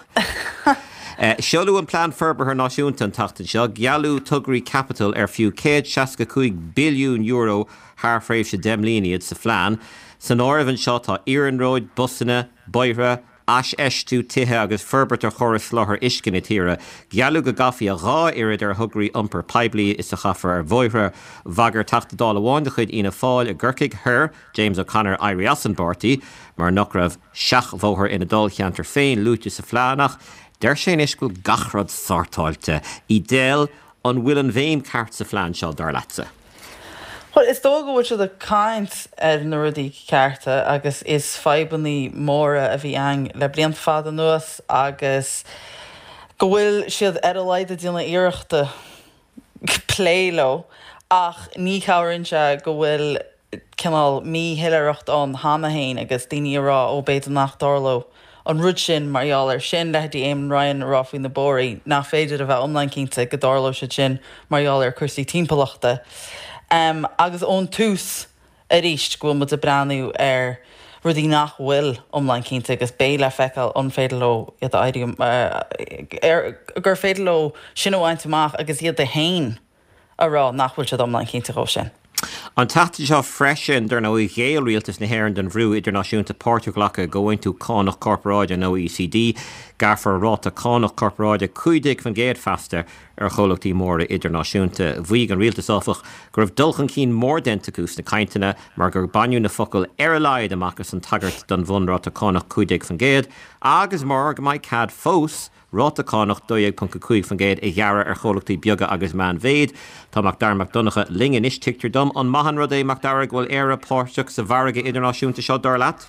Seoladh an Plean Forbartha Náisiúnta an tseachtain seo, gealladh tograí caipitil ar fiú céad seasca cúig billiún euro thar thréimhse deich mbliana iad sa phlean. San áireamh anseo tá iarnróid, busanna, bóithre, aisfheistiú tithe agus forbairt ar chóras soláthair uisce na tíre. Gealladh go gcaithfí a dhá oiread ar thograí iompair poiblí is a chaithfear ar bhóithre. Bhagair Teachta Dála amháin de chuid Fhianna Fáil i gCorcaigh Thoir, James O'Connor, éirí as an bpáirtí mar nach raibh seachbhóthar ina dháilcheantar féin luaite sa phlean ach deir sé anois go bhfuil gach rud sortáilte. Edel, an bhfuil an bhéim ceart sa phlean seo, dar leatsa? Bhuel, is dóigh go bhfuil siad ag caint ar na rudaí cearta agus is fadhbanna móra a bhí ann le blianta fada anuas agus go bhfuil siad ar a laghad ag déanamh iarrachta plé leo ach ní chabhraíonn sé go bhfuil cineál míshoiléireacht ann cheana féin agus daoine ag rá ó b'fhéidir nach dtarlódh an rud sin mar gheall air sin, leithéidí Eamon Ryan ag rá faoi na bóithre nach féidir a bheith iomlán cinnte go dtarlódh siad sin mar gheall ar chúrsaí timpeallachta. Agus ón tús arís go bhfuil muid ag breathnú ar rudaí nach bhfuil iomlán cinnte agus beidh le feiceáil an féidir leo iad a éirí, gur féidir leo sin a bhaint amach agus iad féin a rá nach bhfuil siad iomlán cinnte dhó sin. An tseachtain seo freisin, dar ndóigh, ghéill rialtas na hÉireann don bhrú idirnáisiúnta páirt a ghlacadh i gComhaontú Cánach Corparáide an OECD. Gearrfar ráta cánach corparáide cúig déag faoin gcéad feasta ar chomhlachtaí móra idirnáisiúnta. Mhaígh an rialtas, áfach, go raibh dul chun cinn mór déanta acu sna cainteanna mar gur baineadh na focail 'ar a laghad' amach as an tagairt don bhunráta cánach cúig déag faoin gcéad agus mar go mbeidh cead fós ráta cánach dó dhéag ponc a cúig faoin gcéad a ghearradh ar chomhlachtaí beaga agus meánmhéid. Tá Mac Dara Mac Donncha linn anois, tuigtear dom. An maith an rud é, Mac Dara, go bhfuil Éire páirteach sa mhargadh idirnáisiúnta seo, dar leat?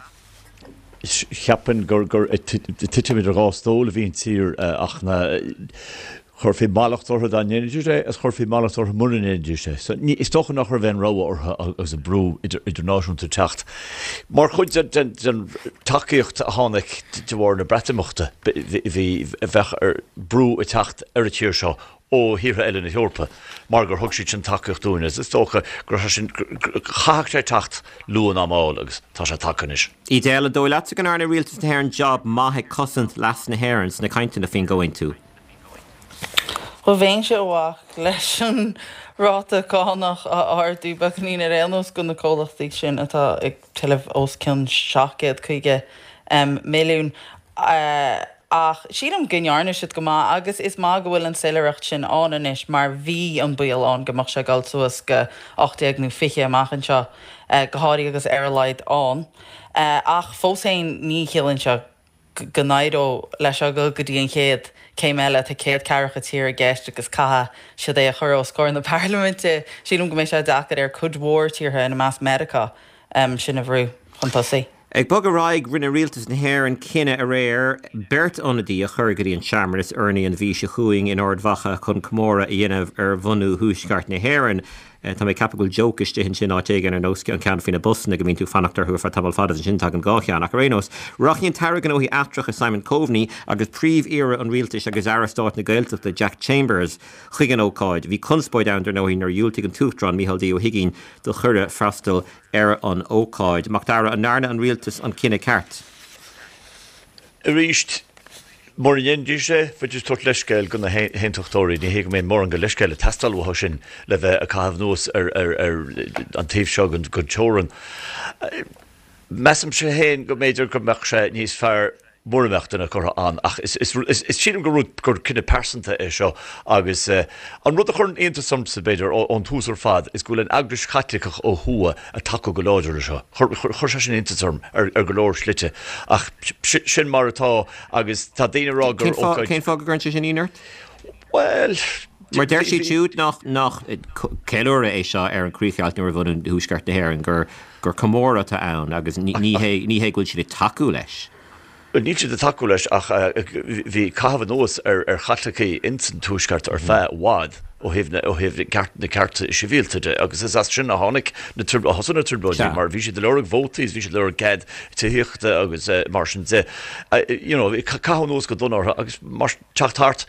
Cheapfainn gur ag titim idir dhá stól a bhí an tír ach na Chuirfí mallacht orthu dá ndéanfaidís é agus chuirfí mallacht orthu mura ndéanfaidís é. So, ní, is dócha nach raibh aon rogha orthu agus an brú idirnáisiúnta ag teacht. Mar chuid den, den tacaíocht a tháinig de bharr na Breatimeachta, bhí, bheadh ar, brú ag teacht ar an tír seo ó thíortha eile na hEorpa mar gur thug siad sin tacaíocht dúinn agus is dócha go raibh sé sin, chaithfeadh sé teacht luath ná mall agus tá sé tagtha anois. Edel, an dóigh leatsa go ndearna rialtas na hÉireann jab maith ag cosaint leas na hÉireann sna cainteanna faoin gcomhaontú? Bhuel, bheinnse i bhfách leis an ráta cánach a ardú beagáinín ar aon nós do na comhlachtaí sin atá ag tuilleamh os cionn seacht gcéad caoga milliún. Ach sílim go ndearna siad go maith agus is maith go bhfuil an soiléireacht sin ann anois mar bhí an baol ann go mbeadh sé ag dul suas go ocht déag nó fiche amach anseo, go háirithe agus ar a laghad ann. Ach fós féin ní chiallaíonn seo go n-éireodh leis seo dul go dtí an chéad céim eile. Tá céad ceathracha tír i gceist agus caithfidh siad é a chur os comhair na parlaiminte. Sílim go mbeidh sé deacair ar cuid mhór tíortha, ina measc Meiriceá, sin a bhrú chun tosaigh. Ag bogadh ar aghaidh, rinne rialtas na hÉireann cinneadh aréir beirt ionadaí a chur go dtí an searmanas urnaí an mhí seo chugainn in Ard Mhacha chun comóradh a dhéanamh ar bhunú Thuaisceart na hÉireann. Tá mé ag ceapadh go bhfuil joke istigh ansin áit éigin ar nós an ceann faoi na busanna go mbíonn tú ag fanacht orthu ar feadh tamall fada agus ansin tagann dhá cheann. Ach ar aon nós, rachaidh an tAire Gnóthaí Eachtracha Simon Coveney agus Príomh-Aoire an Rialtais agus Aire Stáit na Gaeltachta Jack Chambers chuig an ócáid. Bhí conspóid ann dar ndóigh nuair a dhiúltaigh an tUachtarán Micheál D Ó hUigínn do chuireadh freastal ar an ócáid. Mac Dara, an ndearna an Rialtas an cinneadh ceart? Arís, mura ndéanfaidís é, bheidís ag tabhairt leithscéil do na hAontachtóirí. Ní hé go mbeidh mórán de leithscéal ag teastáil uathu sin le bheith ag caitheamh anuas ar an taobh seo den teorainn. Measaimse féin go mb'fhéidir go mbeadh sé níos fearr mura mbeadh duine curtha ann ach sílim gur rud, gur cinneadh pearsanta é seo agus an rud a chuireann iontas ormsa, b'fhéidir, ón tús ar fad is go bhfuil an Eaglais Chaitliceach ó thuaidh ag tacú go láidir leis seo. Chuir sé sin iontas orm ar go leor slite ach sin mar atá agus tá daoine ag rá gur ócáid. Cén fáth go gcuireann sé sin ionadh ort? Bhuel. Mar deir siad siúd nach nach ceiliúradh é seo ar an chríochdheighilt nó ar bhunú Thuaisceart na hÉireann, gur gur comóradh atá ann agus ní hé ní hé go bhfuil siad ag tacú leis. Bhuel, níl siad ag tacú leis ach bhí caitheamh anuas ar Chaitlicigh ins an Tuaisceart ar feadh i bhfad ó thaobh na, ó thaobh na cearta sibhialta de agus is as sin a tháinig na, a thosaigh na trioblóidí mar bhí siad ag lorg vótaí is bhí siad ag lorg cead tithíochta agus mar sin de. You know, caitheadh anuas go dona orthu agus mar, teacht thart.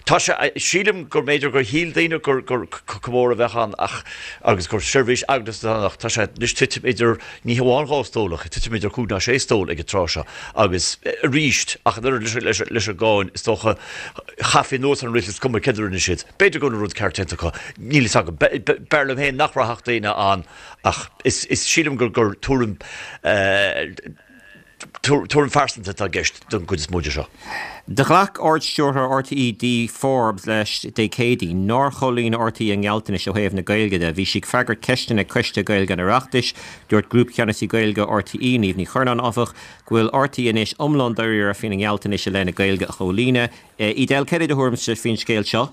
Tá sé, sílim gur mb'fhéidir gur shíl daoine gur, gur comóradh a bheadh ann ach, agus gur seirbhís eaglasta atá ann ach tá sé anois titim idir, ní hamháin dhá stól ach titim idir cúig ná sé stól ag an tráth seo agus arís ach an oiread leis, leis, leis an gcáin is dócha chaithfí anuas ar an rialtas cuma céard a rinne siad. B'fhéidir go bhfuil an rud ceart déanta acu, níl fhios agam. B'fhearr liom féin nach rachadh daoine ann ach is, is sílim gur, gur tuairim eh, Tuairim phearsanta atá i gceist don gcuid is mó de seo. Do ghlac Ard-Stiúrthóir RTÉ Dee Forbes leis Dé Céadaoin nár chomhlíon RTÉ a ngealltanais ó thaobh na Gaeilge de. Bhí sí ag freagairt ceisteanna ag Coiste Gaeilge an Oireachtais. Dúirt Grúpcheannasaí Gaeilge RTÉ, Niamh Ní Churnáin, áfach, go bhfuil RTÉ anois iomlán dáiríre faoina ngealltanais i leith na Gaeilge a chomhlíonadh. Edel, céard é do thuairimse faoin scéal seo?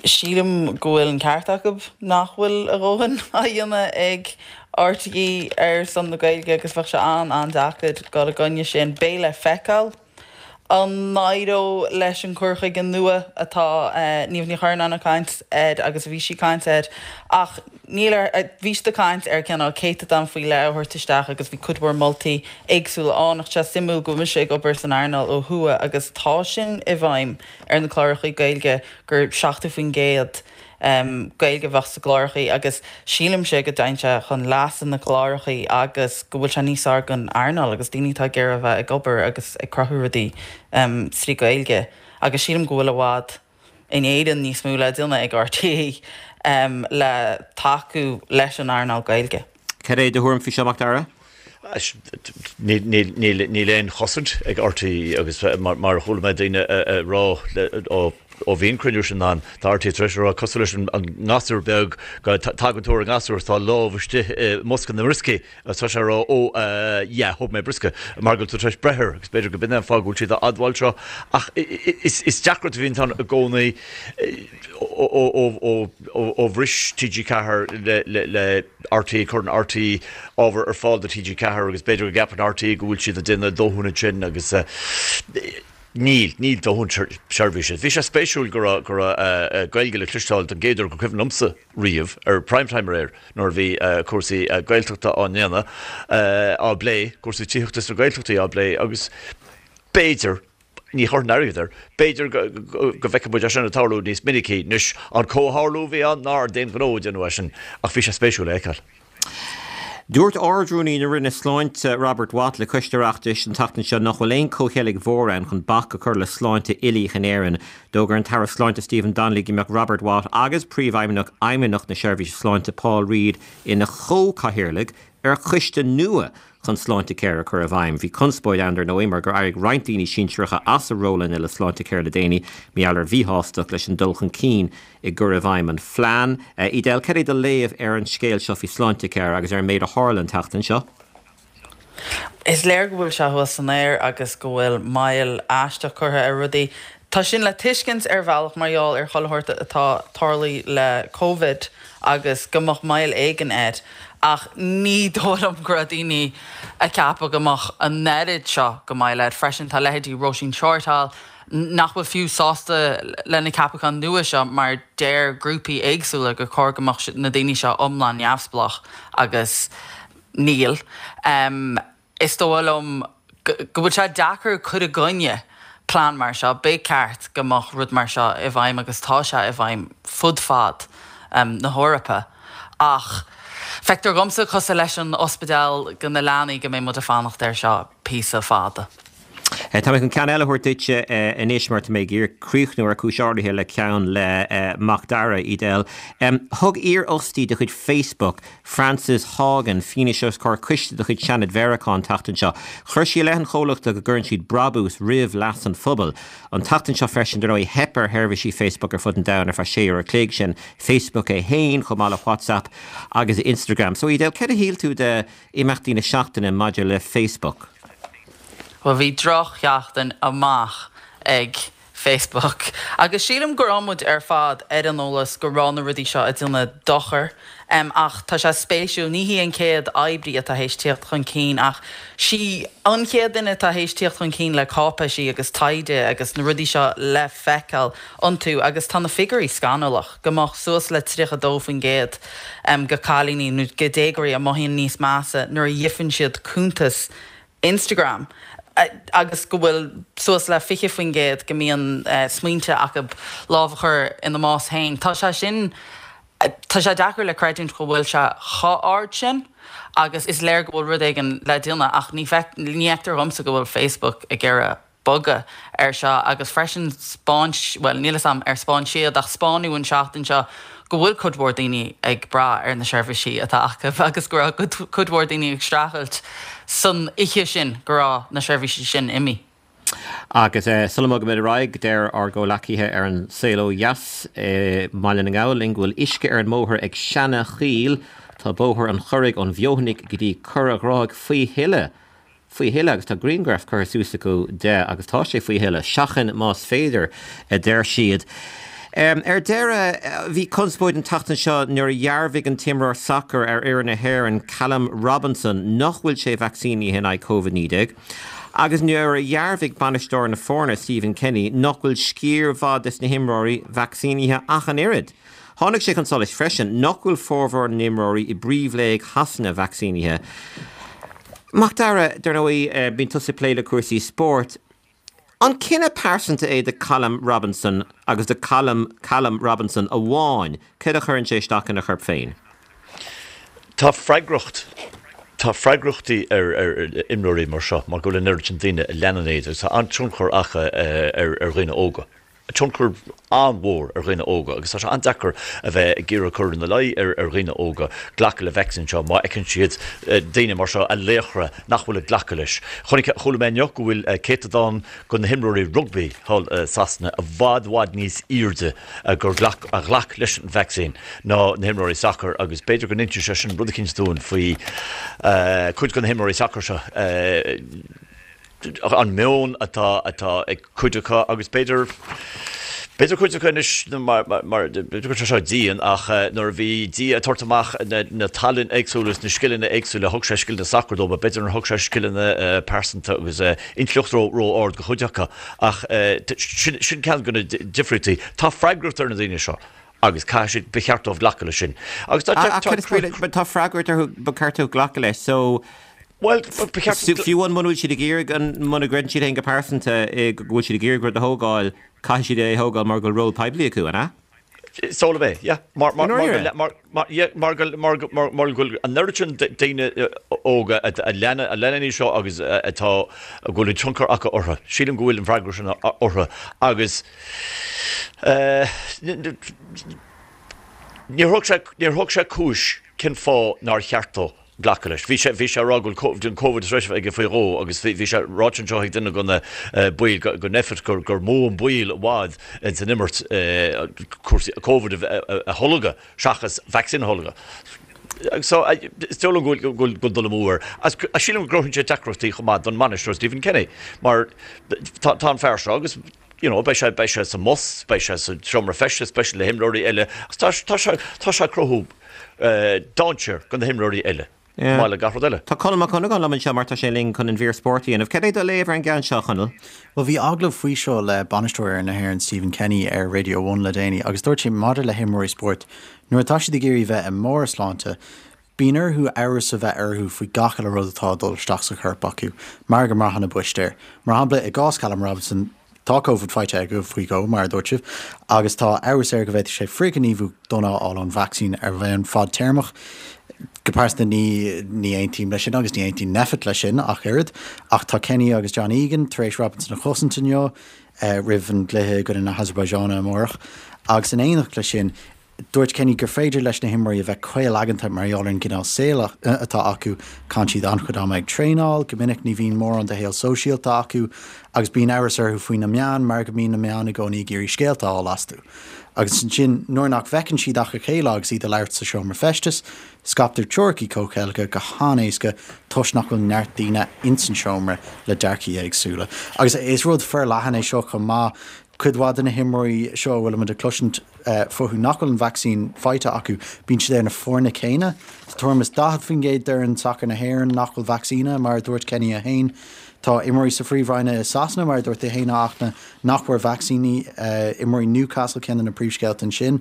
Sílim go bhfuil an ceart acu nach bhfuil a dhóthain á dhéanamh ag RTÉ ar son na Gaeilge agus bheadh sé an-an-deacair dul i gcoinne sin. Beidh le feiceáil an n-éireoidh leis an cur chuige nua atá Niamh Ní Churnáin ag caint air agus a bhí sí ag caint air ach níl ar, bhí siad ag caint ar cineál céatadán faoi leith a thabhairt isteach agus bhí cuid mhór moltaí éagsúla ann ach tá sé suimiúil go bhfuil mise ag obair san earnáil ó thuaidh agus tá sin i bhfeidhm ar na cláracha Gaeilge gur seachtó faoin gcéad Gaeilge a bheadh sa gclárachaí agus sílimse go dtéann sé chun leasa na gclárachaí agus go bhfuil sé níos fearr don earnáil agus daoine atá ag iarraidh a bheith ag obair agus ag cruthú rudaí trí Ghaeilge agus sílim go bhfuil i bhfad in Éirinn níos mó le déanamh ag RTÉ le tacú leis an earnáil Gaeilge. Cad é do thuairim faoi seo, Mac Dara? Níl aon chosaint ag RTÉ agus mar a chuala mé daoine a rá ó bhí an cruinniú sin ann, tá RTÉ tar éis a rá, cosúil leis an ngasúr beag, go dtagann tú ar an ngasúr is tá a lámh istigh i mbosca na mbrioscaí agus tá sé ag rá ó yeah, thóg mé briosca mar go bhfuil tú tar éis breith air agus b'fhéidir go b'in é an fáth go bhfuil siad á admháil seo ach is deacracht a bhíonn ann i gcónaí ó bhris TG Ceathair le RTÉ, cuireann RTÉ ábhar ar fáil do TG Ceathair agus b'fhéidir go gceapann RTÉ go bhfuil siad ag déanamh a ndóthain ansin agus níl, níl dóthain seirbhíse. Bhí sé spéisiúil go raibh, go raibh Gaeilge le cloisteáil don gcéad uair gur cuimhin liomsa riamh ar Prime Time aréir nuair a bhí cúrsaí Gaeltachta á ndéanamh, á bplé, cúrsaí tithíochta sna Gaeltachtaí á bplé agus b'fhéidir, Ní chuirfinn airgead air. B'fhéidir go bhfeicfidh muid é sin ag tarlú níos minicí. Anois, an comhtharlú a bhí ann ná d'aon ghnó a déanadh é sin, ach bhí sé spéisiúil a fheiceáil. Dúirt Ard-Rúnaí na Roinne Sláinte, Robert Watt, le Coiste Oireachtais an tseachtain seo nach bhfuil aon chomhcheilg mhór ann chun bac a chur le sláinte uilíoch in Éirinn. D'fhógair an tAire Sláinte Stephen Donnelly go mbeadh Robert Watt agus Príomhfheidhmeannach Fheidhmeannacht na Seirbhíse Sláinte Paul Reid ina chomhchathaoirligh ar choiste nua chun Sláintecare a chur i bhfeidhm. Bhí conspóid ann, dar ndóigh, mar gur éirigh roinnt daoine sinsearacha as a rólanna le Sláintecare le déanaí mar gheall ar mhíshástacht leis an dul chun cinn i gcur i bhfeidhm an phlean. Edel, cad é do léamh ar an scéal seo faoi Sláintecare agus ar an méid a tharla an tseachtain seo? Is léir go bhfuil sé thuas san aer agus go bhfuil moill aisteach curtha ar rudaí. Tá sin le tuiscint ar bhealach mar gheall ar chuile shórt atá tarlaithe le Covid agus go mbeadh moill éigin air ach ní dóigh liom go raibh daoine ag ceapadh go mbeadh an oiread seo go moill air. Freisin tá leithéidí Róisín Shortall nach bhfuil fiú sásta le na ceapacháin nua seo mar deir grúpaí éagsúla gur chóir go mbeadh na daoine seo iomlán neamhspleách agus níl. Is dóigh liom go bhfuil sé deacair cur i gcoinne plean mar seo. Ba cheart go mbeadh rud mar seo i bhfeidhm agus tá sé i bhfeidhm fud fad na hEorpa. Ach feictear dhomsa, cosúil leis an ospidéal go na leanaí, go mbeidh muid ag fanacht air seo píosa fada. Tá mé chun ceann eile a thabhairt duitse anois mar tá mé ag iarraidh críochnú ar chúis áirithe le ceann le Mac Dara, Edel. Thug iarfhostaí de chuid Facebook, Frances Haugen, fianaise os comhair coiste de chuid Seanad Mheiriceá an tseachtain seo. Chuir sí i leith an chomhlachta go gcuireann siad brabús roimh leas an phobail. An tseachtain seo freisin, dar ndóigh, theip ar sheirbhísí Facebook ar fud an domhain ar feadh sé uair a chloig, sin Facebook é féin chomh maith le WhatsApp agus Instagram. So, Edel, céard a shíl tú de imeachtaí na seachtaine maidir le Facebook? Bhuel, bhí drochsheachtain amach ag Facebook agus sílim go raibh muid ar fad ar an eolas go raibh na rudaí seo ag déanamh dochar ach tá sé spéisiúil, ní hí an chéad oibrí atá théis tíocht chun cinn ach sí an chéad duine atá théis tíocht chun cinn le cáipéisí agus taighde agus na rudaí seo le feiceáil iontu agus tá na figiúirí scannalach, go mbeadh suas le tríocha dó faoin gcéad go cailíní nó go déagóirí a mothaíonn níos measa nuair a dhífeann siad cuntas Instagram agus go bhfuil suas le fiche faoin gcéad go mbíonn smaointe acu lámh a chur ina mbás féin. Tá sé sin, tá sé deacair le creidiúint go bhfuil sé chomh ard sin agus is léir go bhfuil rud éigin le déanamh ach ní fheictear dhomsa go bhfuil Facebook ag iarraidh bogadh air seo agus freisin 'spáin, bhuel níl 'fhios a'm ar 'spáin siad ach 'spáineadh an seachtain seo go bhfuil cuid mhór daoine ag brath ar na seirbhísí atá acu agus go raibh cuid mhór daoine ag streachailt san oíche sin go raibh na seirbhísí sin imithe. Agus sula mbogaimid ar aghaidh, deir ár gcomhleacaithe ar An Saol Ó Dheas i mBaile na nGall linn go bhfuil uisce ar an mbóthar ag Seana-Choill. Tá Bóthar an Churraigh ón bhFeothanaigh go dtí Cora Ghráig faoi thuile. faoi thuile agus tá grianghraf curtha suas acu de agus tá sé faoi thuile. Seachain más féidir, a deir siad. Ar deireadh, bhí conspóid an tseachtain seo nuair a dhearbhaigh an t-imreoir sacair ar fhoireann na hÉireann, Callum Robinson, nach bhfuil sé vacsaínithe in aghaidh Covid naoi déag, agus nuair a dhearbhaigh bainisteoir na foirne, Stephen Kenny, nach bhfuil sciar mhaith des na himreoirí vacsaínithe ach an oiread. Tháinig sé chun solais freisin nach bhfuil formhór na n-imreoirí i bPríomhléig Shasana vacsaínithe. Macdara, dar ndóigh, bíonn tusa ag plé le cúrsaí spóirt. An cinneadh pearsanta é do Callum Robinson agus do Callum Callum Robinson amháin céard a chuireann sé isteach ina chorp féin? Tá freagracht Tá freagrachtaí ar ar imreoirí mar seo mar go bhfuil an oiread sin daoine a leanann iad agus tá an-tionchar acu ar ar dhaoine óga. tionchar an-mhór ar dhaoine óga agus tá sé an-deacair a bheith ag iarraidh cur ina luí ar ar dhaoine óga glacadh le vacsaín seo má fheiceann siad daoine mar seo, a laochra, nach bhfuil ag glacadh leis. Chonaic, chuala mé inniu go bhfuil céatadán de na himreoirí rugbaí thall i Sasana i bhfad, bhfad níos airde gur ghlac, a ghlac leis an vacsaín ná na himreoirí sacair agus b'fhéidir go n-inseoidh sé sin rud eicínt dúinn faoi cuid de na himreoirí sacair seo. an meon atá atá ag cuid acu agus b'fhéidir b'fhéidir cuid acu anois mar mar b'fhéidir go bhfuil sé seo dian ach nuair a bhí Dia ag tabhairt amach na na tallainne éagsúla is na scileanna éagsúla thug sé scileanna sacair dóibh but b'fhéidir nár thug sé scileanna pearsanta agus intleacht ró ró ard do chuid acu ach sin sin ceann de na difríochtaí. Tá freagracht ar na daoine seo agus caithfidh siad ba cheart dóibh glacadh leis sin agus tá tá freagracht orthu ba cheart dóibh glacadh leis so Bhuel, ba cheart. Fiú amháin muna bhfuil siad ag iarraidh an, muna gcreideann siad féin go pearsanta go bhfuil siad ag iarraidh rud a thógáil, caithfidh siad é a thógáil mar go bhfuil ról poiblí acu, an ea? Is dóigh liom é, yeah. Mar, mar, mar, mar, mar, yeah, mar go, mar, mar, mar go bhfuil an oiread sin daoine óga a, a leanann, a leanann iad seo agus atá, go bhfuil an tionchar acu orthu. Sílim go bhfuil an freagracht sin orthu agus eh, níor thug sé, níor thug sé cúis cén fáth nár cheart dó. glacadh leis. Bhí sé, bhí sé ag rá go bhfuil an Covid tar éis a bheith aige faoi dhó agus bhí, bhí sé ráite anseo ag duine de na baill go, go Nphet gur, gur mó an baol i bhfad ins an imirt cúrsaí Covid a, a, a tholgadh seachas vaccine a tholgadh. So, is dóigh liom go bhfuil, go bhfuil, go bhfuil dul amú air. Agus sílim go gcruthaíonn sé deacrachtaí chomh maith don mbainisteoir Stephen Kenny mar tá, tá an fear seo agus you know beidh sé, beidh sé sa mbus, beidh sé sa seomra feistis, beidh sé le himreoirí eile agus tá, tá sé, tá sé ag cruthú dainséar do na himreoirí eile, chomh maith le gach rud eile. Tá Conall Mac Dhonnagáin liom anseo mar tá sé linn chun an mhír spóirt a dhéanamh. Cad é do léamh ar an gceann seo, a Chonaill? Bhuel, bhí agallamh faoi seo le bainisteoir fhoireann na hÉireann, Stephen Kenny, ar Radio One le déanaí agus dúirt sé maidir le himreoirí spóirt, nuair atá siad ag iarraidh bheith i mbarr a sláinte, bíonn orthu amhras a bheith orthu faoi gach uile rud atá ag dul isteach sa chorp acu mar go mbraitheann a bpoist air. Mar shampla, i gcás Callum Robinson, Tá Covid faighte aige faoi dhó, mar a dúirt sibh, agus tá amhras air go bhféadfadh sé frithghníomhú dona a fháil ón vacsaín ar bhonn fadtéarmach. Go pearsanta ní ní aontaím leis sin agus ní aontaíonn Nphet leis sin ach oiread. Ach tá Kenny agus John Egan tar éis Robinson a chosaint inniu roimh an gcluiche i gcoinne na hAsarbaiseáine amárach. Agus in éineacht leis sin, Dúirt Kenny gur féidir leis na himreoirí a bheith caolaigeanta mar gheall ar an gcineál saoil atá acu, caitheann siad an-chuid ama ag traenáil, go minic ní bhíonn mórán de shaol sóisialta acu agus bíonn amhras orthu faoi na meáin mar go mbíonn na meáin i gcónaí ag iarraidh scéalta a fháil astu. Agus ansin, nuair nach bhfeiceann siad ach a chéile agus iad ag labhairt sa seomra feistis, scaiptear teoiricí comhcheilge go han-éasca toisc nach bhfuil neart daoine ins an seomra le dearcaí éagsúla. Agus is rud forleathan é seo chomh maith. Cuid mhaith de na himreoirí seo a bhfuilimid ag cloisint fúthu nach bhfuil an vacsaín faighte acu, bíonn siad ar na foirne céanna. Tá tuairim is daichead faoin gcéad d'fhoireann sacair na hÉireann nach bhfuil vacsaínithe, mar a dúirt Kenny é féin. Tá imreoirí sa Phríomhroinn i Sasana, mar a dúirt tú féin, a Fhachtna, nach bhfuair vacsaíní. Imreoirí Newcastle ceann de na príomhscéalta ansin.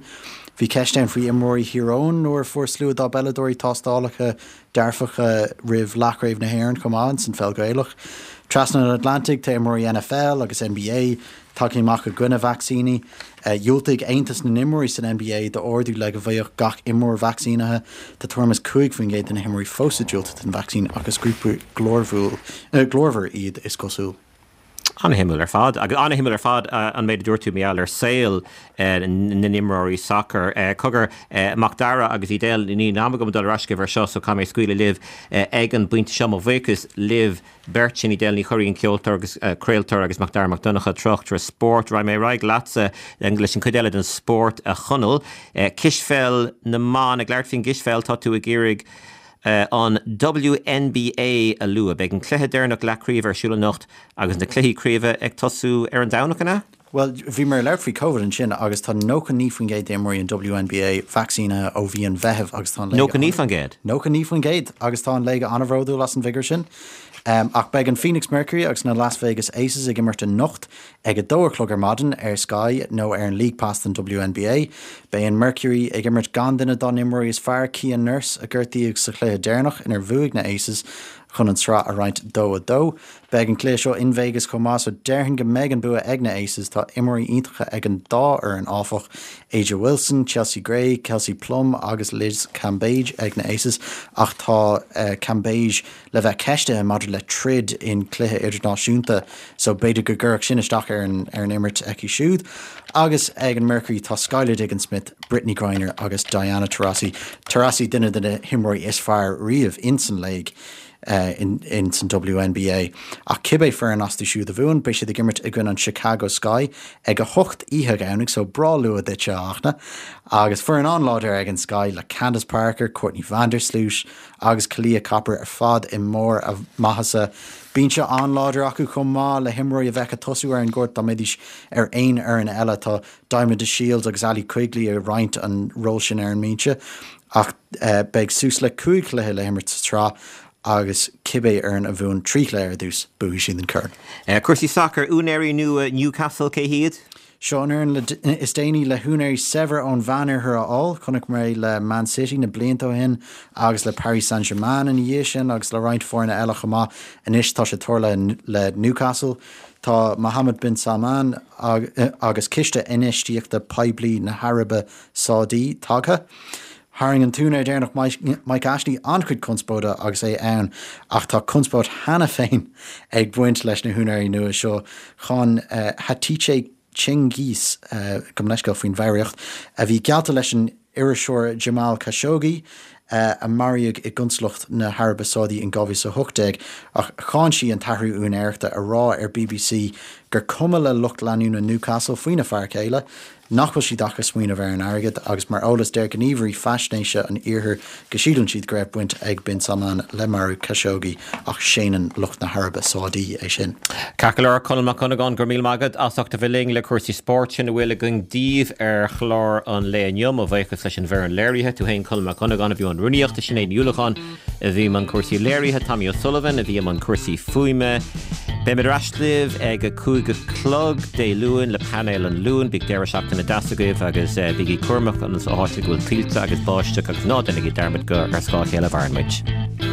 Bhí ceist ann faoi imreoirí Thír Eoghain nuair a fuair slua dá bpeileadóirí tástálacha dearfacha roimh Leathchraobh na hÉireann chomh maith ins an pheil Ghaelach. Trasna an Atlantaigh, tá imreoirí N F L agus N B A tagtha amach i gcoinne vacsaíní. Dhiúltaigh Aontas na nImreoirí san N B A d'ordú le go mbeadh gach imreoir vacsaínithe. Tá tuairim is cúig faoin gcéad de na himreoirí fós ag diúltú don vacsaín ach is grúpa glórmhar iad, is cosúil. An-shuimiúil ar fad. Agus an-shuimiúil ar fad an méid a dúirt tú mar gheall ar saol na n-imreoirí sacair. Cogar, Macdara agus Edel, níl am agam dul ar ais chugaibh ar seo so caithfidh mé scaoileadh libh ag an bpointe seo. Mo bhuíochas libh beirt, sin Edel Ní Churraoin, ceoltóir agus craoltóir agus Macdara Mac Donncha, tráchtaire spóirt. Raghaidh mé ar aghaidh leatsa leis an chuid eile den spórt, a Chonaill. Cispheil na mban, ag labhairt faoin gcispheil, tá tú ag iarraidh an W N B A a lua. Beidh an cluiche deireanach leathchraoibhe ar siúl anocht agus na cluichí craoibhe ag tosú ar an Domhnach, an ea? Bhuel, bhíomar ag labhairt faoi Covid ansin agus tá nócha naoi faoin gcéad d'imreoirí an WNBA vacsaínithe ó mhí an Mheithimh agus tá an léig Nócha naoi faoin gcéad? Nócha naoi faoin gcéad agus tá an léig an-bhródúil as an bhfigiúr sin. Ach beidh an Phoenix Mercury agus na Las Vegas Aces ag imirt anocht ag a dó a chlog ar maidin ar Sky nó ar an League Pass don WNBA. Beidh an Mercury ag imirt gan duine dá n-imreoirí is fearr, Kia Nurse, a gortaíodh sa chluiche deireanach inar bhuaigh na Aces chun an tsraith a roinnt dó a dó. Beidh an cluiche seo in Vegas chomh maith so déarfainn go mbeidh an bua ag na Aces. Tá imreoirí iontacha ag an dá fhoireann áfach, A'ja Wilson, Chelsea Gray, Kelsey Plum agus Liz Cambage ag na Aces ach tá Cambage le bheith ceistithe maidir le troid in cluiche idirnáisiúnta so b'fhéidir go gcuirfeadh sin isteach ar an ar an imirt aici siúd. Agus ag an Mercury tá Skylar Diggins-Smith, Brittney Griner agus Diana Taurasi. Taurasi duine de na himreoirí is fearr riamh ins an léig. in san WNBA. Ach cibé foireann astu siúd a bhuann, beidh siad ag imirt i gcoinne an Chicago Sky ag a hocht oíche Dhomhnaigh, so breá luath duitse, a Fhachtna. Agus foireann an-láidir ag an Sky le Candace Parker, Courtney Vandersloot agus Kahleah Copper ar fad i mbarr a maitheasa. Binse an-láidir acu chomh maith le himreoirí a bheadh ag tosú ar an gcúirt dá mbeidís ar aon fhoireann eile. Tá Diamond DeShields agus Allie Quigley ag roinnt an ról sin ar an mbinse ach beidh suas le cúig chluiche le himirt sa tsraith agus cibé fhoireann a bhuann trí chluiche ar dtús, buafaidh siad an corn. Cúrsaí sacair, úinéirí nua Newcastle, cé hiad? Seo an fhoireann is déanaí le húinéirí saibhir ón Mheánoirthear a fháil. Chonaic muid é le Man City na blianta ó shin agus le Paris Saint-Germain ina dhiaidh sin agus le roinnt foirne eile chomh maith. Anois tá sé tarlaithe le Newcastle. Tá Mohammed bin Salman agus ciste infheistíochta poiblí na hAraibe Sádaí tagtha. Tharraing an t-úinéir deireanach Mike Ashley an-chuid conspóide agus é ann ach tá conspóid cheana féin ag baint leis na húinéirí nua seo. Cháin Hatice Cengiz, gabh mo leithscéal faoin bhfoghraíocht, a bhí geallta leis an iriseoir Jamal Khashoggi, a maraíodh i gconsalacht na hAraibe Sádaí in dhá mhíle is a hocht déag, ach cháin sí an t-athrú úinéireachta, a rá ar bbc gur cuma le lucht leanúna Newcastle faoina fear céile. nach bhfuil siad ach ag smaoineamh ar an airgead agus mar eolas deir gníomhairí faisnéise an iarthair go síleann siad go raibh baint ag Bin Salman le marú Khashoggi ach séanann lucht na hAraibe Sádaí é sin. Ceart go leor, Conall Mac Cuinneagáin, go raibh míle maith agat as ucht a bheith linn le cúrsaí spóirt. Sin a bhfuil againn daoibh ar chlár an lae inniu. Mo bhuíochas leis an bhfoireann léirithe, tú féin Conall Mac Cuinneagáin a bhí i mbun rúnaíochta, Sinéad Ní Uallacháin a bhí i mbun cúrsaí léirithe, Tommy O'Sullivan a bhí i mbun cúrsaí fuaime. Beimid ar ais libh ag a cúig a chlog Dé Luain le Painéal an Luain. Bíodh deireadh seachtaine deas agaibh agus bígí cúramach ins na háiteanna go bhfuil tuilte agus báisteach agus ná déanaigí dearmad gur ar scáth a chéile a mhaireann muid.